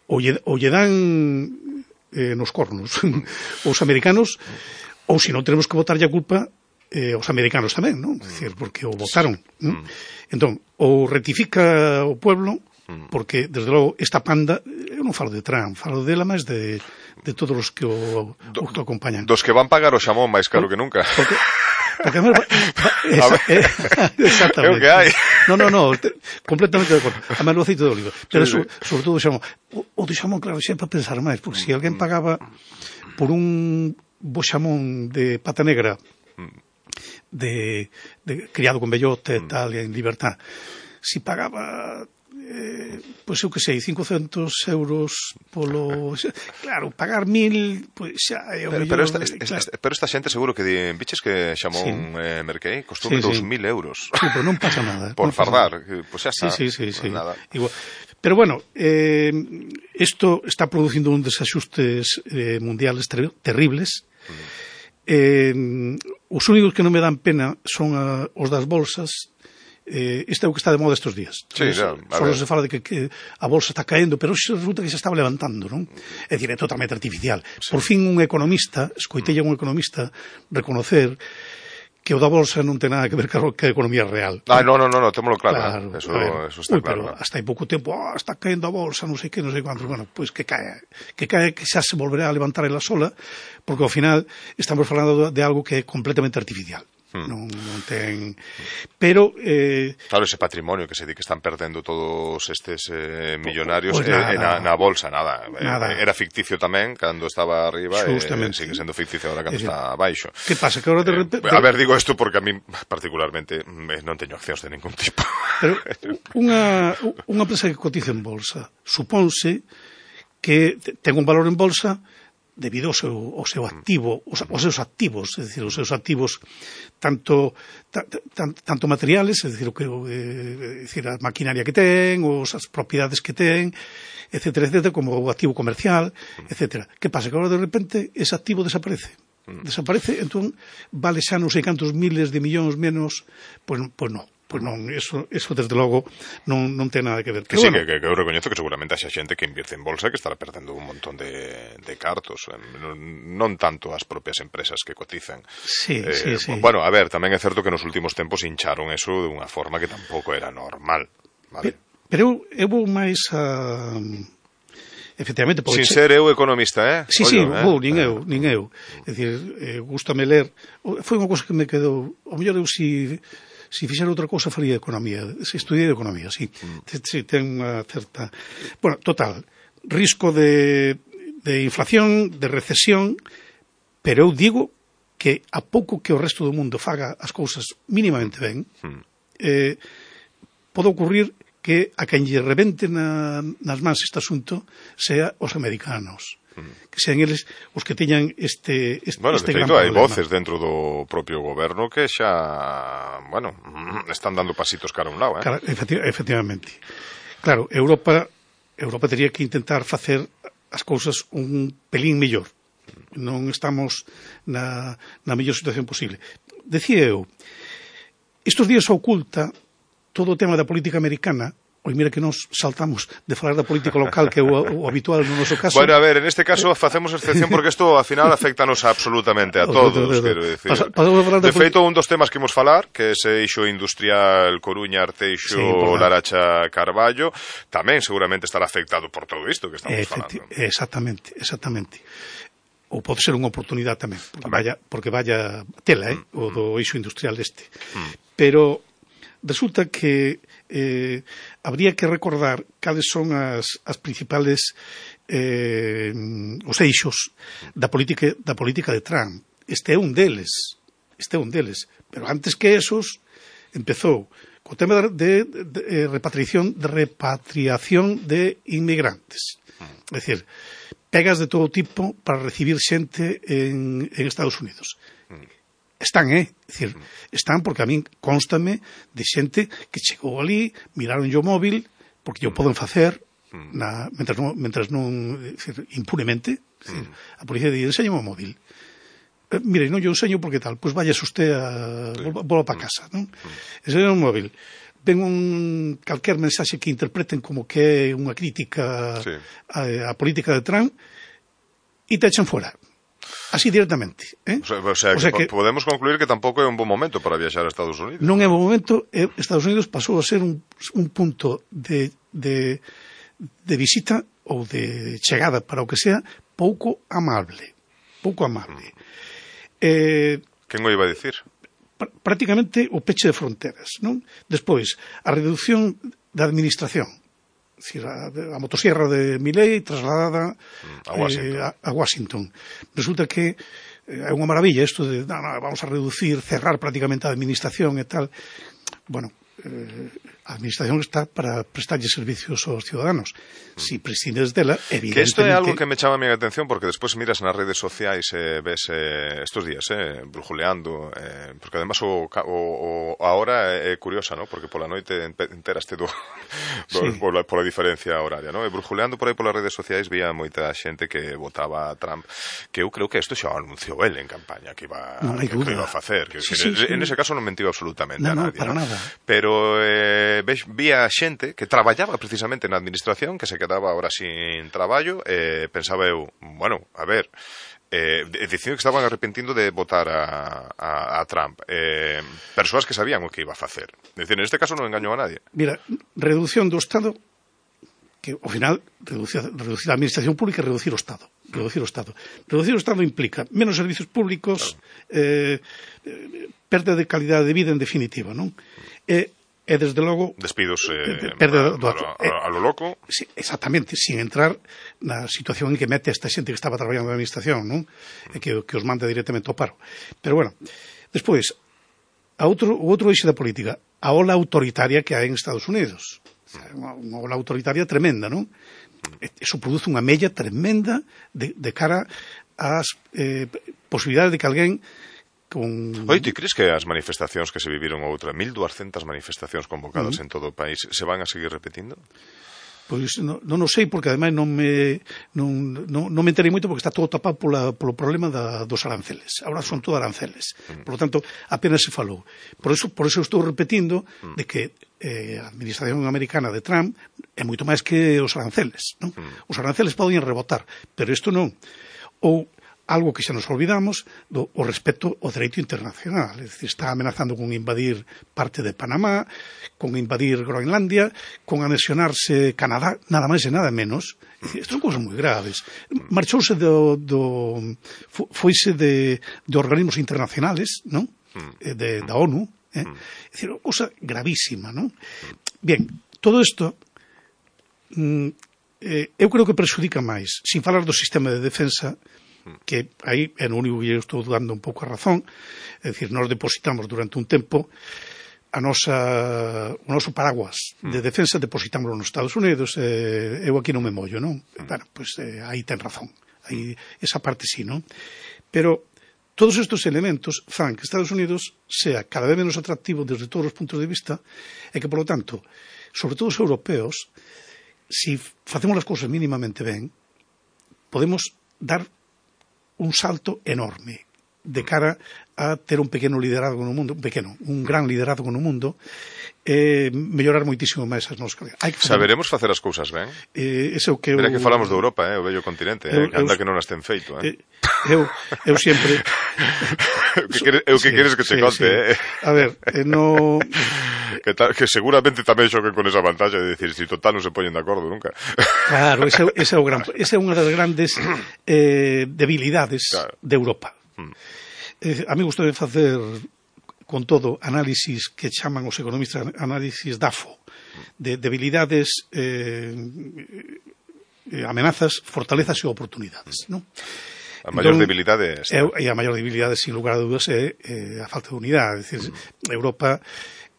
ou lle dan nos cornos os americanos, ou se non tenemos que botarlle a culpa os americanos tamén, non? É dicir, porque o votaron. Entón, ou rectifica o pueblo, porque, desde logo, esta panda, eu non falo de Trump, falo dela máis de todos os que o acompañan. Dos que van pagar o xamón máis caro que nunca. Porque exactamente. É o que hai. No, completamente de acordo. A máis o aceite de oliva. Pero sobre todo o xamón. O do xamón, claro, sempre a pensar máis, porque se alguén pagaba por un bo xamón de pata negra de criado con bellote e tal, en libertad, si pagaba pois eu que sei, 500 euros polo... Claro, pagar 1.000, pois xa é o mellor... Pero esta xente seguro que biches que xamón merquei, costou 2.000 euros. Sí, pero non pasa nada. Por fardar, pois xa está. Sí. Nada. Pero bueno, isto está producindo un desajustes mundiales terribles. Os únicos que non me dan pena son os das bolsas. Isto é o que está de moda estes días. Só se fala de que a bolsa está caendo, pero resulta que se estaba levantando, non? É dicir, é totalmente artificial. Por fin un economista, escoitei a un economista reconocer que o da bolsa non ten nada que ver ca economía real. Non, témolo claro. Eso está claro. Pero hasta hai pouco tempo, está caendo a bolsa, non sei que, non sei cuánto. Bueno, pois que cae, que xa se volverá a levantar ela sola, porque ao final estamos falando de algo que é completamente artificial. Non ten... Pero... Claro, ese patrimonio que se di que están perdendo todos estes millonarios na bolsa, nada. Era ficticio tamén cando estaba arriba e sigue sendo ficticio ahora cando está abaixo. Que pasa? Que ahora de repente... A ver, digo isto porque a mí particularmente non teño accións de ningún tipo. Pero unha empresa que cotiza en bolsa supónse que ten un valor en bolsa debido ao seu activo, os seus activos, é dicir, os seus activos tanto materiales, é dicir, a maquinaria que ten, as propiedades que ten, etcétera, como o activo comercial, etcétera. Que pasa? Que agora de repente ese activo desaparece, entón vale xa non sei cantos miles de millóns menos, pois non. Pois non, eso desde logo non ten nada que ver. Que sí, que eu recoñezo que seguramente haxa xente que invirte en bolsa que estará perdendo un montón de cartos, non tanto as propias empresas que cotizan. Sí. Bueno, a ver, tamén é certo que nos últimos tempos hincharon eso de unha forma que tampouco era normal, vale? Pero eu vou máis a... Efectivamente, sin ser eu economista, Sí, nin eu. É dicir, gústame ler. Foi unha cousa que me quedou... O mellor eu se fixera outra cousa faría economía, se estudiei economía, sí. Ten unha certa... Bueno, total, risco de inflación, de recesión, pero eu digo que a pouco que o resto do mundo faga as cousas mínimamente ben, pode ocurrir que a quen lle rebente nas mans este asunto sea os americanos. Que sean eles os que teñan este bueno, de feito, hai voces dentro do propio goberno que xa, bueno, están dando pasitos cara a un lado, Claro, efectivamente. Claro, Europa teria que intentar facer as cousas un pelín mellor. Non estamos na mellor situación posible. Decía eu, estes días oculta todo o tema da política americana. Oi, mira que nos saltamos de falar da política local, que é o habitual no noso caso. Bueno, a ver, en este caso facemos excepción porque isto, ao final, afectanos absolutamente a todos, quero dicir. De feito, un dos temas que imos falar, que é ese eixo industrial Coruña, Arteixo, Laracha, Carballo, tamén seguramente estará afectado por todo isto que estamos falando. Exactamente. ou pode ser unha oportunidade tamén, porque vaya tela, o do eixo industrial este. Pero resulta que habría que recordar cales son as principales os eixos da política de Trump. Este é un deles, pero antes que esos empezou co tema de repatriación de inmigrantes. É dicir, pegas de todo tipo para recibir xente en Estados Unidos. Están, dicir, están porque a min constame de xente que chegou ali, miraron o móvil, porque o poden facer mentras non dicir, impunemente. Dicir, a policía di, enséñame o móvil. Mire, non yo enseño porque tal, pois vayas usted volva para casa, non? Enséñame o móvil. Ven calquer mensaxe que interpreten como que é unha crítica á política de Trump e te echan fora. Así directamente. O sea que podemos concluir que tampouco é un bon momento para viaxar a Estados Unidos. Non é un bon momento. Estados Unidos pasou a ser un punto de visita ou de chegada para o que sea pouco amable. Quen o iba a dicir? Prácticamente o peche de fronteras, non? Despois, a reducción da administración. A motosierra de Milei trasladada a Washington. Resulta que é unha maravilla isto de vamos a reducir, cerrar prácticamente a administración e tal. Bueno, a administración está para prestarlle servicios aos ciudadanos. Si prescindes dela, evidentemente... Que isto é algo que me chama a mi atención, porque despois miras nas redes sociais e ves estos días, brujuleando, porque además a hora é curiosa, ¿no? Porque pola noite enteraste pola diferencia horaria, ¿no? E brujuleando por aí polas redes sociais vía moita xente que votaba a Trump, que eu creo que isto xa anunciou ele en campaña que iba a facer. En ese caso non mentiu absolutamente a nadie. Para nada. Pero vía xente que traballaba precisamente na administración, que se quedaba ahora sin traballo, pensaba eu, bueno, a ver, dicindo que estaban arrepentindo de votar a Trump, persoas que sabían o que iba a facer. Decir, en este caso non engañou a nadie. Mira, reducción do Estado, que ao final reducir a administración pública e reducir o Estado. Reducir o Estado implica menos servicios públicos, perda de calidade de vida en definitiva, non? E desde logo despidos a lo loco. Sí, exactamente, sin entrar na situación en que mete esta xente que estaba traballando na administración, non? E que os manda directamente ao paro. Pero bueno, despois o outro eixo da política, a ola autoritaria que hai en Estados Unidos. Unha ola autoritaria tremenda, non? Eso produce unha mella tremenda de cara ás posibilidades de que alguén Oi, ti crees que as manifestacións que se viviron outra 1200 manifestacións convocadas en todo o país se van a seguir repetindo? Pois non o sei, porque ademais non me enterei moito porque está todo tapado polo problema dos aranceles. Ahora son todo aranceles. Por lo tanto, apenas se falou. Por eso estou repetindo de que a administración americana de Trump é moito máis que os aranceles, non? Os aranceles poden rebotar, pero isto non. Ou algo que xa nos olvidamos, o respecto ao dereito internacional. É dicir, está amenazando con invadir parte de Panamá, con invadir Groenlandia, con anexionarse Canadá, nada máis e nada menos. Isto son cousas moi graves. Marchouse foise de organismos internacionales, non? Da ONU. É dicir, unha cousa gravísima, non? Bien, todo isto eu creo que perxudica máis, sin falar do sistema de defensa, que aí é no único que eu estou dando un pouco a razón. É dicir, nós depositamos durante un tempo o noso paraguas de defensa, depositámoslo nos Estados Unidos, eu aquí non me mollo, non? Bueno, pois aí ten razón, aí esa parte sí, non? Pero todos estes elementos fan que Estados Unidos sea cada vez menos atractivo desde todos os puntos de vista e que, por lo tanto, sobre todo os europeos, si facemos as cousas mínimamente ben, podemos dar un salto enorme. de cara a ter un pequeno liderazgo no mundo, un gran liderazgo no mundo, mellorar moitísimo máis as nosas calidades. Saberemos facer as cousas ben? Mira que falamos de Europa, o vello continente, anda que non as ten feito. Eu sempre... O que queres que te conte, A ver, no... Que seguramente tamén xoquen con esa vantaxe de decir, si total non se poñen de acordo nunca. Claro, esa é unha das grandes debilidades de Europa. A mí gusta de facer con todo análisis que chaman os economistas análisis DAFO, de debilidades, amenazas, fortalezas e oportunidades, non? A maior debilidade e a maior debilidade, sin lugar a dúdas, é a falta de unidade. É dicir, Europa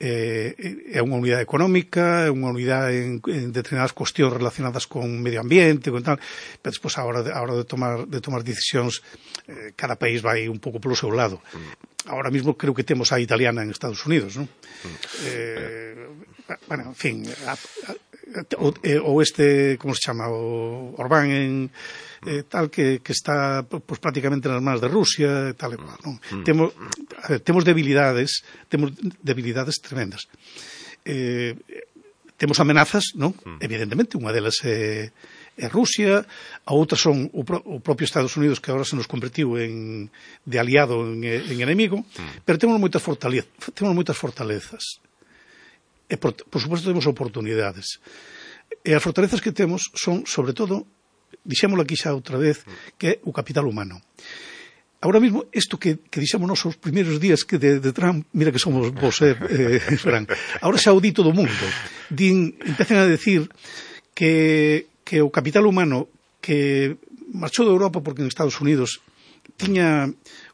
é unha unidade económica, é unha unidade en determinadas cuestións relacionadas con medio ambiente, con tal, pero despois a hora de tomar decisións, cada país vai un pouco polo seu lado. Ahora mismo creo que temos a italiana en Estados Unidos, non? Bueno, en fin, ou como se chama, o Orbán en tal que está pues prácticamente nas mans de Rusia, tal e cual, non? Temos debilidades tremendas. Temos amenazas, non? Evidentemente, unha delas é Rusia, a outras son o propio Estados Unidos, que agora se nos convertiu de aliado en enemigo, pero temos moitas fortalezas. E, por suposto, temos oportunidades. E as fortalezas que temos son, sobre todo, dixémolo aquí xa outra vez, que é o capital humano. Ahora mismo, isto que dixemos nos os primeiros días que de Trump, mira que somos vos, Fran, ahora xa o di todo o mundo. Empezan a decir que o capital humano que marchou de Europa porque en Estados Unidos tiña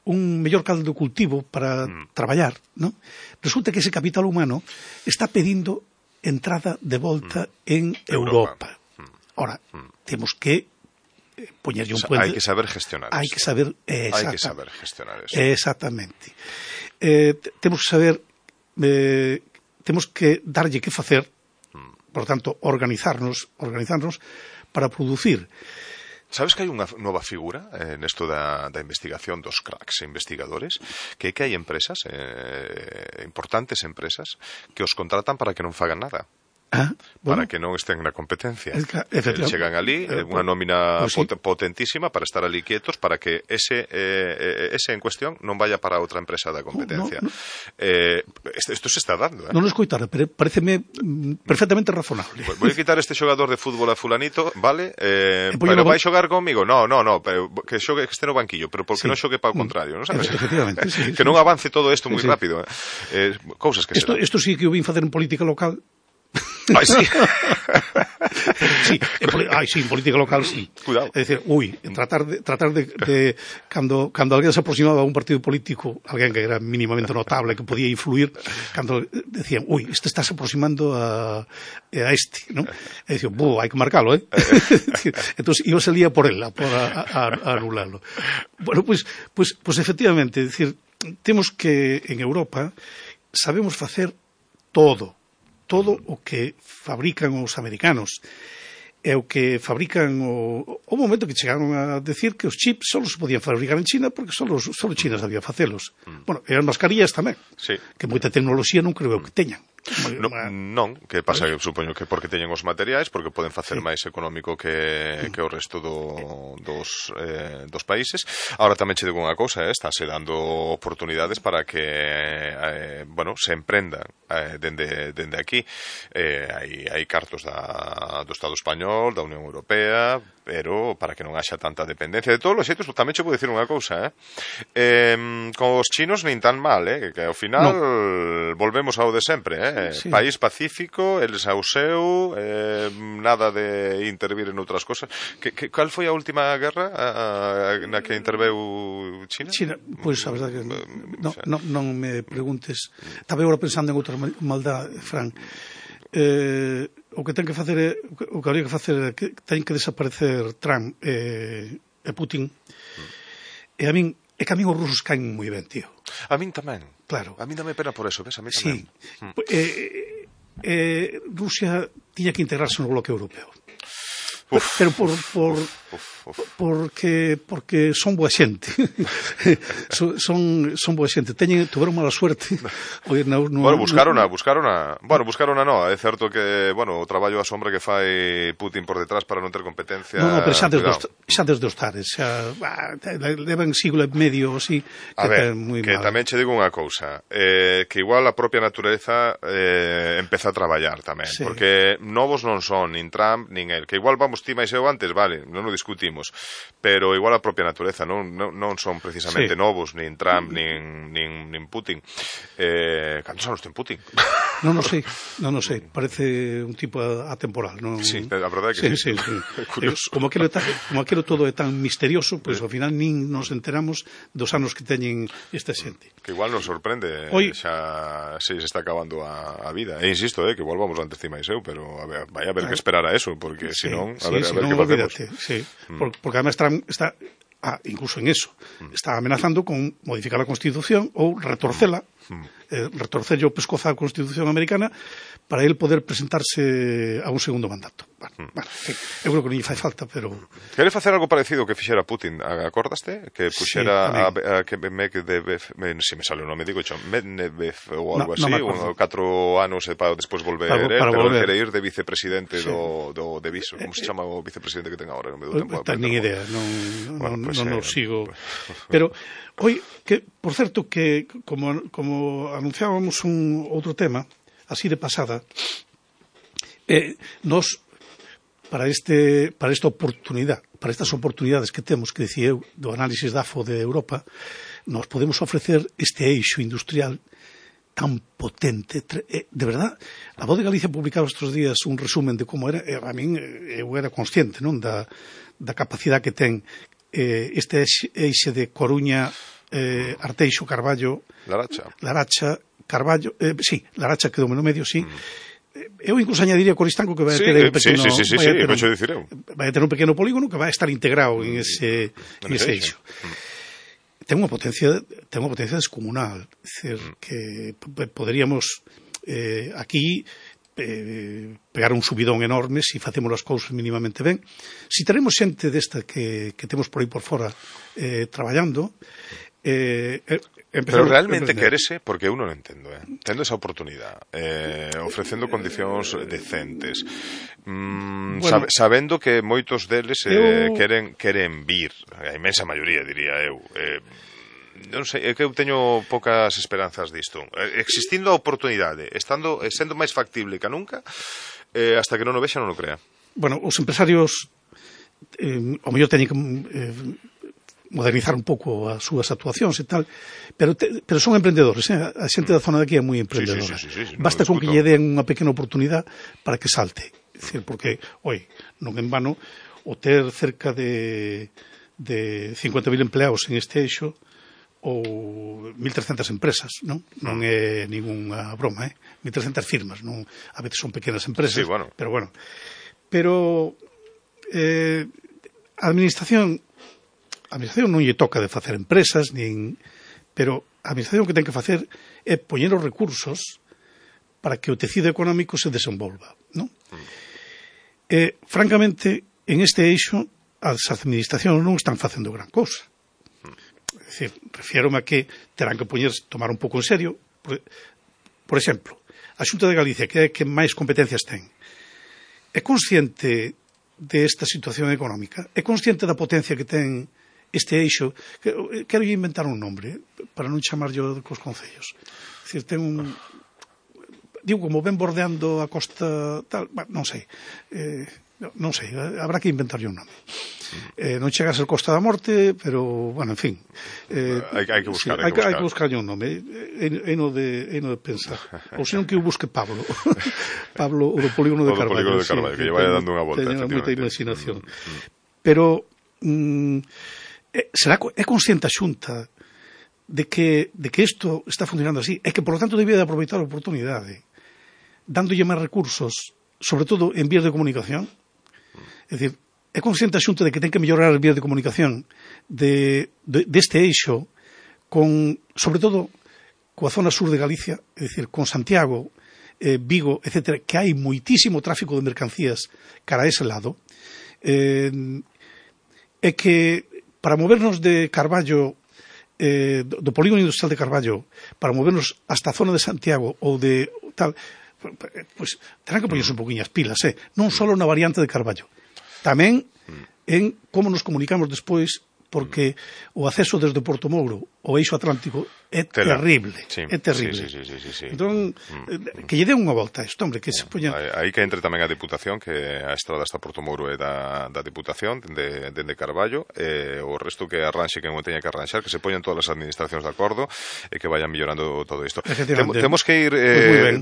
un mellor caldo de cultivo para traballar, non? Resulta que ese capital humano está pedindo entrada de volta en Europa. Ora, temos que poñerlle un puente. Hai que saber gestionar eso. Hai que saber gestionar eso. Exactamente. Temos que saber, temos que darlle que facer, por tanto, organizarnos para producir. Sabes que hai unha nova figura nesto da investigación dos cracks e investigadores, que hai empresas, importantes empresas, que os contratan para que non fagan nada. Para que non estén na competencia. Chegan ali, unha nómina potentísima para estar ali quietos, para que ese en cuestión non vaya para outra empresa da competencia. Isto se está dando. Non o escoitara, pero pareceme perfectamente razonable. Voy a quitar este xogador de fútbol a fulanito, vale? Pero vai xogar comigo? No, que xogue, que este no banquillo, pero porque non xogue para o contrario, non sabes? Efectivamente. Que non avance todo isto moi rápido. Cousas que se dan. Isto sí que o vin facer en política local. Ai, sí. En política local, sí. Cuidado. É dicir, tratar de cando alguén se aproximaba a un partido político, alguén que era mínimamente notable, que podía influir, cando decían, este está se aproximando a este, non? E dicían, hai que marcalo, Entón, iba se lía por él, a anularlo. Bueno, pues efectivamente, é dicir, temos que en Europa sabemos facer todo o que fabrican os americanos e o que fabrican o momento que chegaron a decir que os chips só se podían fabricar en China porque só China sabía facelos. Bueno, e as mascarillas tamén, que moita tecnoloxía non creo que teñan. Non, que pasa, supoño que porque teñen os materiais, porque poden facer máis económico que o resto dos países. Ahora tamén che digo unha cousa, estáse dando oportunidades para que se emprendan dende aquí. Hai cartos do Estado español, da Unión Europea, pero para que non haxa tanta dependencia. De todos os xeitos, tamén che vou dicir unha cousa, con os chinos nin tan mal, que ao final volvemos ao de sempre, País pacífico, eles ao seu, nada de intervir en outras cosas. Cal foi a última guerra na que interveu China? China, pois a verdade que non me preguntes. Estaba agora pensando en outra maldad, Fran. O que ten que facer o que habría que facer é que ten que desaparecer Trump e Putin. E a min é que a min os rusos caen moi ben, tío. A min tamén. Claro. A min dame pena por eso, ves? A min tamén. Rusia tiña que integrarse no bloque europeo. Pero Porque son boa xente. son boa xente. Tuveron mala suerte. Buscaron no, é certo que, o traballo a sombra que fai Putin por detrás para non ter competencia. Pero xa desde os tares, levan siglo e medio así. A ver, que tamén che digo unha cousa, que igual a propia natureza empeza a traballar tamén, porque novos non son nin Trump nin el, que igual vamos ti máis eu antes, vale, non o discutimos, pero igual a propia natureza non son precisamente novos, nin Trump nin Putin. Cantos anos ten Putin? Non o sei, parece un tipo atemporal, non? Sí, a verdade que sí. Como aquilo todo é tan misterioso, pois ao final nin nos enteramos dos anos que teñen esta xente. Que igual nos sorprende, xa se está acabando a vida. E insisto, que igual vamos antes máis eu, pero vai a haber que esperar a eso, porque senón, a ver que facemos. Porque además Trump está, incluso en eso, está amenazando con modificar a Constitución ou retorcela, retorcerlle o pescozo á Constitución americana para el poder presentarse a un segundo mandato. Eu creo que non lle fai falta, pero... Quere facer algo parecido que fixera Putin, acordaste? Que puxera si me sale o nome, digo Medvedev ou algo así, 4 anos e para despois volver, pero ele quere ir de vicepresidente do Viso. Como se chama o vicepresidente que ten agora? Non me dou tempo. Nin idea, non o sigo. Pero, que, por certo, que como anunciábamos un outro tema, así de pasada, nos, para esta oportunidade, para estas oportunidades que temos, que dicía eu, do análisis da AFO de Europa, nos podemos ofrecer este eixo industrial tan potente. De verdad, a Voz de Galicia publicaba estes días un resumen de como era, a min eu era consciente da capacidade que ten este eixe de Coruña, Arteixo, Carballo, Laracha, Carballo, Laracha quedou no medio, sí. Eu incluso añadiría Coristanco que vai ter un pequeno vai ter un pequeno polígono que vai estar integrado en ese eixo. Ten unha potencia descomunal, é dicir, que poderíamos aquí pegar un subidón enorme se facemos as cousas mínimamente ben. Se teremos xente desta que temos por aí por fora traballando, pero realmente quérese, porque eu non entendo, tendo esa oportunidade, ofrecendo condicións decentes, sabendo que moitos deles queren vir, a inmensa maioría, diría eu, non sei, é que eu teño poucas esperanzas disto. Existindo a oportunidade, sendo máis factible que nunca, hasta que non o vexa non o crea. Bueno, os empresarios ao mellor teñen que modernizar un pouco as súas actuacións e tal, pero son emprendedores, a xente da zona de aquí é moi emprendedora. Basta con que lle den unha pequena oportunidade para que salte. É dicir, porque, non en vano, o ter cerca de 50.000 empleados en este eixo ou 1.300 empresas, non é ninguna broma, 1.300 firmas, non, a veces son pequenas empresas, pero a administración non lle toca de facer empresas, pero a administración que ten que facer é poñer os recursos para que o tecido económico se desenvolva, non? Francamente, en este eixo, as administracións non están facendo gran cousa. É dicir, refiérome a que terán que tomar un pouco en serio. Por exemplo, a Xunta de Galicia, que é que máis competencias ten, é consciente desta situación económica? É consciente da potencia que ten este eixo? Quero inventar un nombre para non chamar yo cos concellos. É dicir, ten un... Digo, como ven bordeando a costa tal, non sei, habrá que inventar un nome. Non chega a ser Costa da Morte, pero, bueno, en fin. Hai que buscar un nome. É no de pensar. Ou senón que eu busque Pablo, o do polígono de Carballo. Que lle vai dando unha volta. Teño moita imaginación. Pero é consciente a Xunta de que isto está funcionando así, é que, por lo tanto, debía de aproveitar a oportunidade, dándolle máis recursos, sobre todo en vías de comunicación. É dicir, é consciente a Xunta de que ten que mellorar as vías de comunicación deste eixo, sobre todo coa zona sur de Galicia, é dicir, con Santiago, Vigo, etc., que hai moitísimo tráfico de mercancías cara a ese lado. é que para movernos de Carballo, do polígono industrial de Carballo, para movernos hasta a zona de Santiago ou de tal, pois terán que poñerse un poquinho as pilas, non só na variante de Carballo, tamén en como nos comunicamos despois, porque o acceso desde Porto Mouro ao eixo atlántico é terrible, é terrible. Entón, que lle den unha volta a isto, hombre, que se poñan... Aí que entre tamén a Diputación, que a estrada hasta Porto Mouro é da Diputación, dende Carballo, o resto que arranxe que non teña que arranxar, que se poñan todas as administracións de acordo e que vayan mellorando todo isto. Temos que ir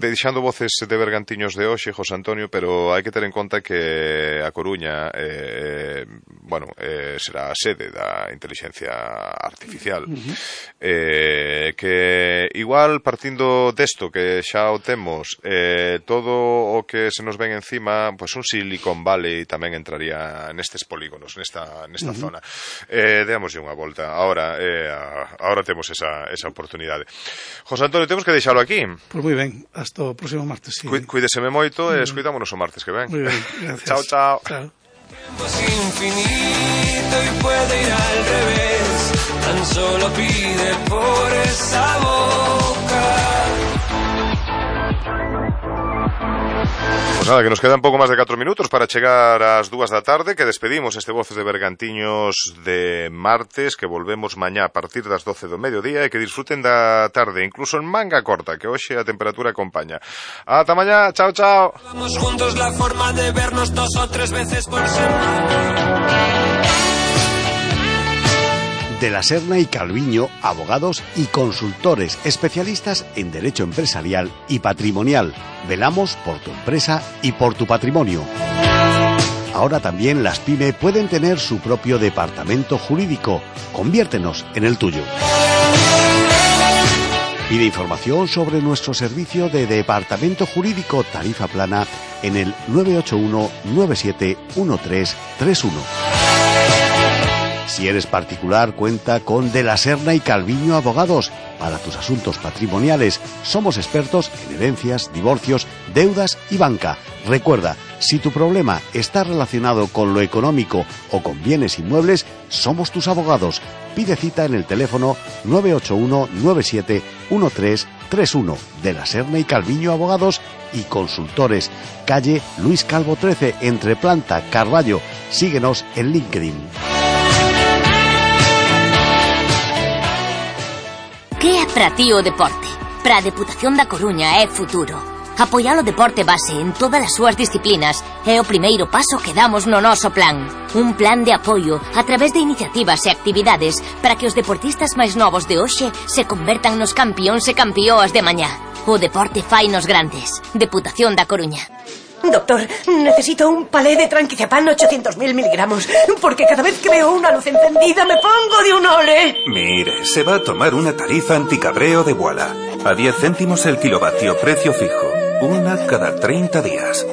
deixando voces de Bergantiños de hoxe, José Antonio, pero hai que ter en conta que a Coruña será a sede da inteligencia artificial, que igual partindo desto que xa o temos, todo o que se nos ven encima, pois un Silicon Valley tamén entraría nestes polígonos, nesta zona. Deámoslle unha volta. Ahora temos esa oportunidade. José Antonio, temos que deixalo aquí. Pois moi ben, hasta o próximo martes. Cuídeseme moito e escuidámonos o martes que ven. Moi ben, gracias. Chao. Es infinito y puede ir al revés, tan solo pide por esa boca. Pues nada, que nos quedan pouco máis de 4 minutos para chegar ás 2 da tarde, que despedimos este Voces de Bergantiños de martes, que volvemos mañá a partir das 12 do mediodía e que disfruten da tarde, incluso en manga corta, que hoxe a temperatura acompaña. Ata mañá, chao. Vamos juntos, la forma de vernos 2 o 3 veces por semana. De la Serna y Calviño, abogados y consultores especialistas en derecho empresarial y patrimonial. Velamos por tu empresa y por tu patrimonio. Ahora también las PYME pueden tener su propio departamento jurídico. Conviértenos en el tuyo. Pide información sobre nuestro servicio de departamento jurídico tarifa plana en el 981 971331. Si eres particular, cuenta con De la Serna y Calviño Abogados. Para tus asuntos patrimoniales, somos expertos en herencias, divorcios, deudas y banca. Recuerda, si tu problema está relacionado con lo económico o con bienes inmuebles, somos tus abogados. Pide cita en el teléfono 981 971331. De la Serna y Calviño Abogados y Consultores. Calle Luis Calvo 13, entre Planta, Carballo. Síguenos en LinkedIn. Que é para ti o deporte? Para a Deputación da Coruña é futuro. Apoiar o deporte base en todas as súas disciplinas é o primeiro paso que damos no noso plan. Un plan de apoio a través de iniciativas e actividades para que os deportistas máis novos de hoxe se convertan nos campións e campióas de mañá. O deporte fainos grandes. Deputación da Coruña. Doctor, necesito un palé de tranquilizapán 800.000 miligramos, porque cada vez que veo una luz encendida me pongo de un ole. Mire, se va a tomar una tarifa anticabreo de Voilà. A 10 céntimos el kilovatio, precio fijo. Una cada 30 días.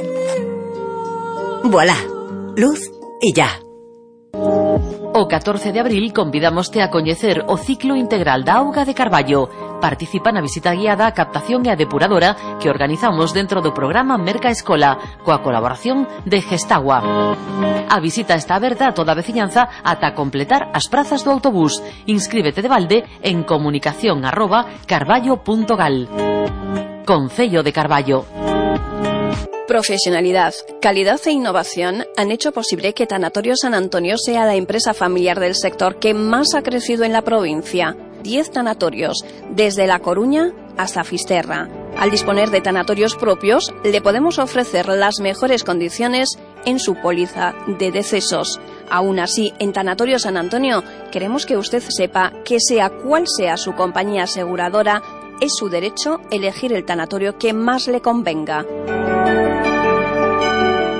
Voilà. Luz y ya. O 14 de abril convidámoste a coñecer o ciclo integral da auga de Carballo. Participa na visita guiada a captación e a depuradora que organizamos dentro do programa Merca Escola, coa colaboración de Gestagua. A visita está aberta a toda a veciñanza ata completar as prazas do autobús. Inscríbete de balde en comunicación@carballo.gal. Concello de Carballo. Profesionalidad, calidad e innovación han hecho posible que Tanatorio San Antonio sea la empresa familiar del sector que más ha crecido en la provincia. 10 tanatorios, desde La Coruña hasta Fisterra. Al disponer de tanatorios propios, le podemos ofrecer las mejores condiciones en su póliza de decesos. Aún así, en Tanatorio San Antonio, queremos que usted sepa que sea cual sea su compañía aseguradora, es su derecho elegir el tanatorio que más le convenga.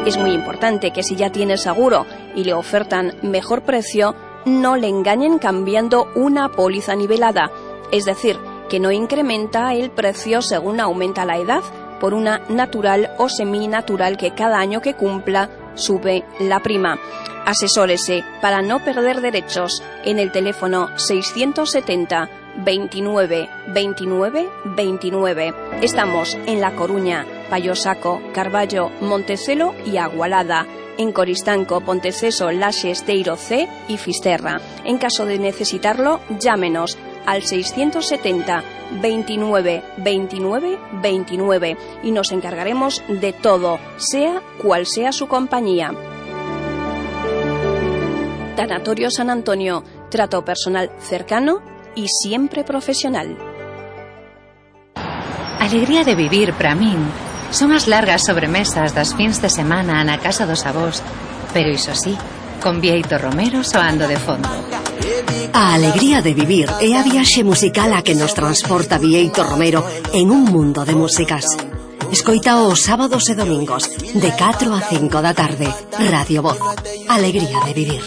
Es muy importante que si ya tiene seguro y le ofertan mejor precio, no le engañen cambiando una póliza nivelada, es decir, que no incrementa el precio según aumenta la edad por una natural o seminatural que cada año que cumpla sube la prima. Asesórese para no perder derechos en el teléfono 670 29 29 29. Estamos en La Coruña, Payosaco, Carballo, Montecelo y Agualada. en Coristanco, Ponteceso, Laxes, Teiro C y Fisterra. En caso de necesitarlo, llámenos al 670 29 29 29 y nos encargaremos de todo, sea cual sea su compañía. Tanatorio San Antonio, trato personal cercano y siempre profesional. Alegría de vivir para min son as largas sobremesas das fins de semana na casa dos avós, pero iso sí, con Bieito Romero soando de fondo. A alegría de vivir é a viaxe musical a que nos transporta Bieito Romero en un mundo de músicas. Escoita os sábados e domingos de 4 a 5 da tarde. Radio Voz. Alegría de vivir.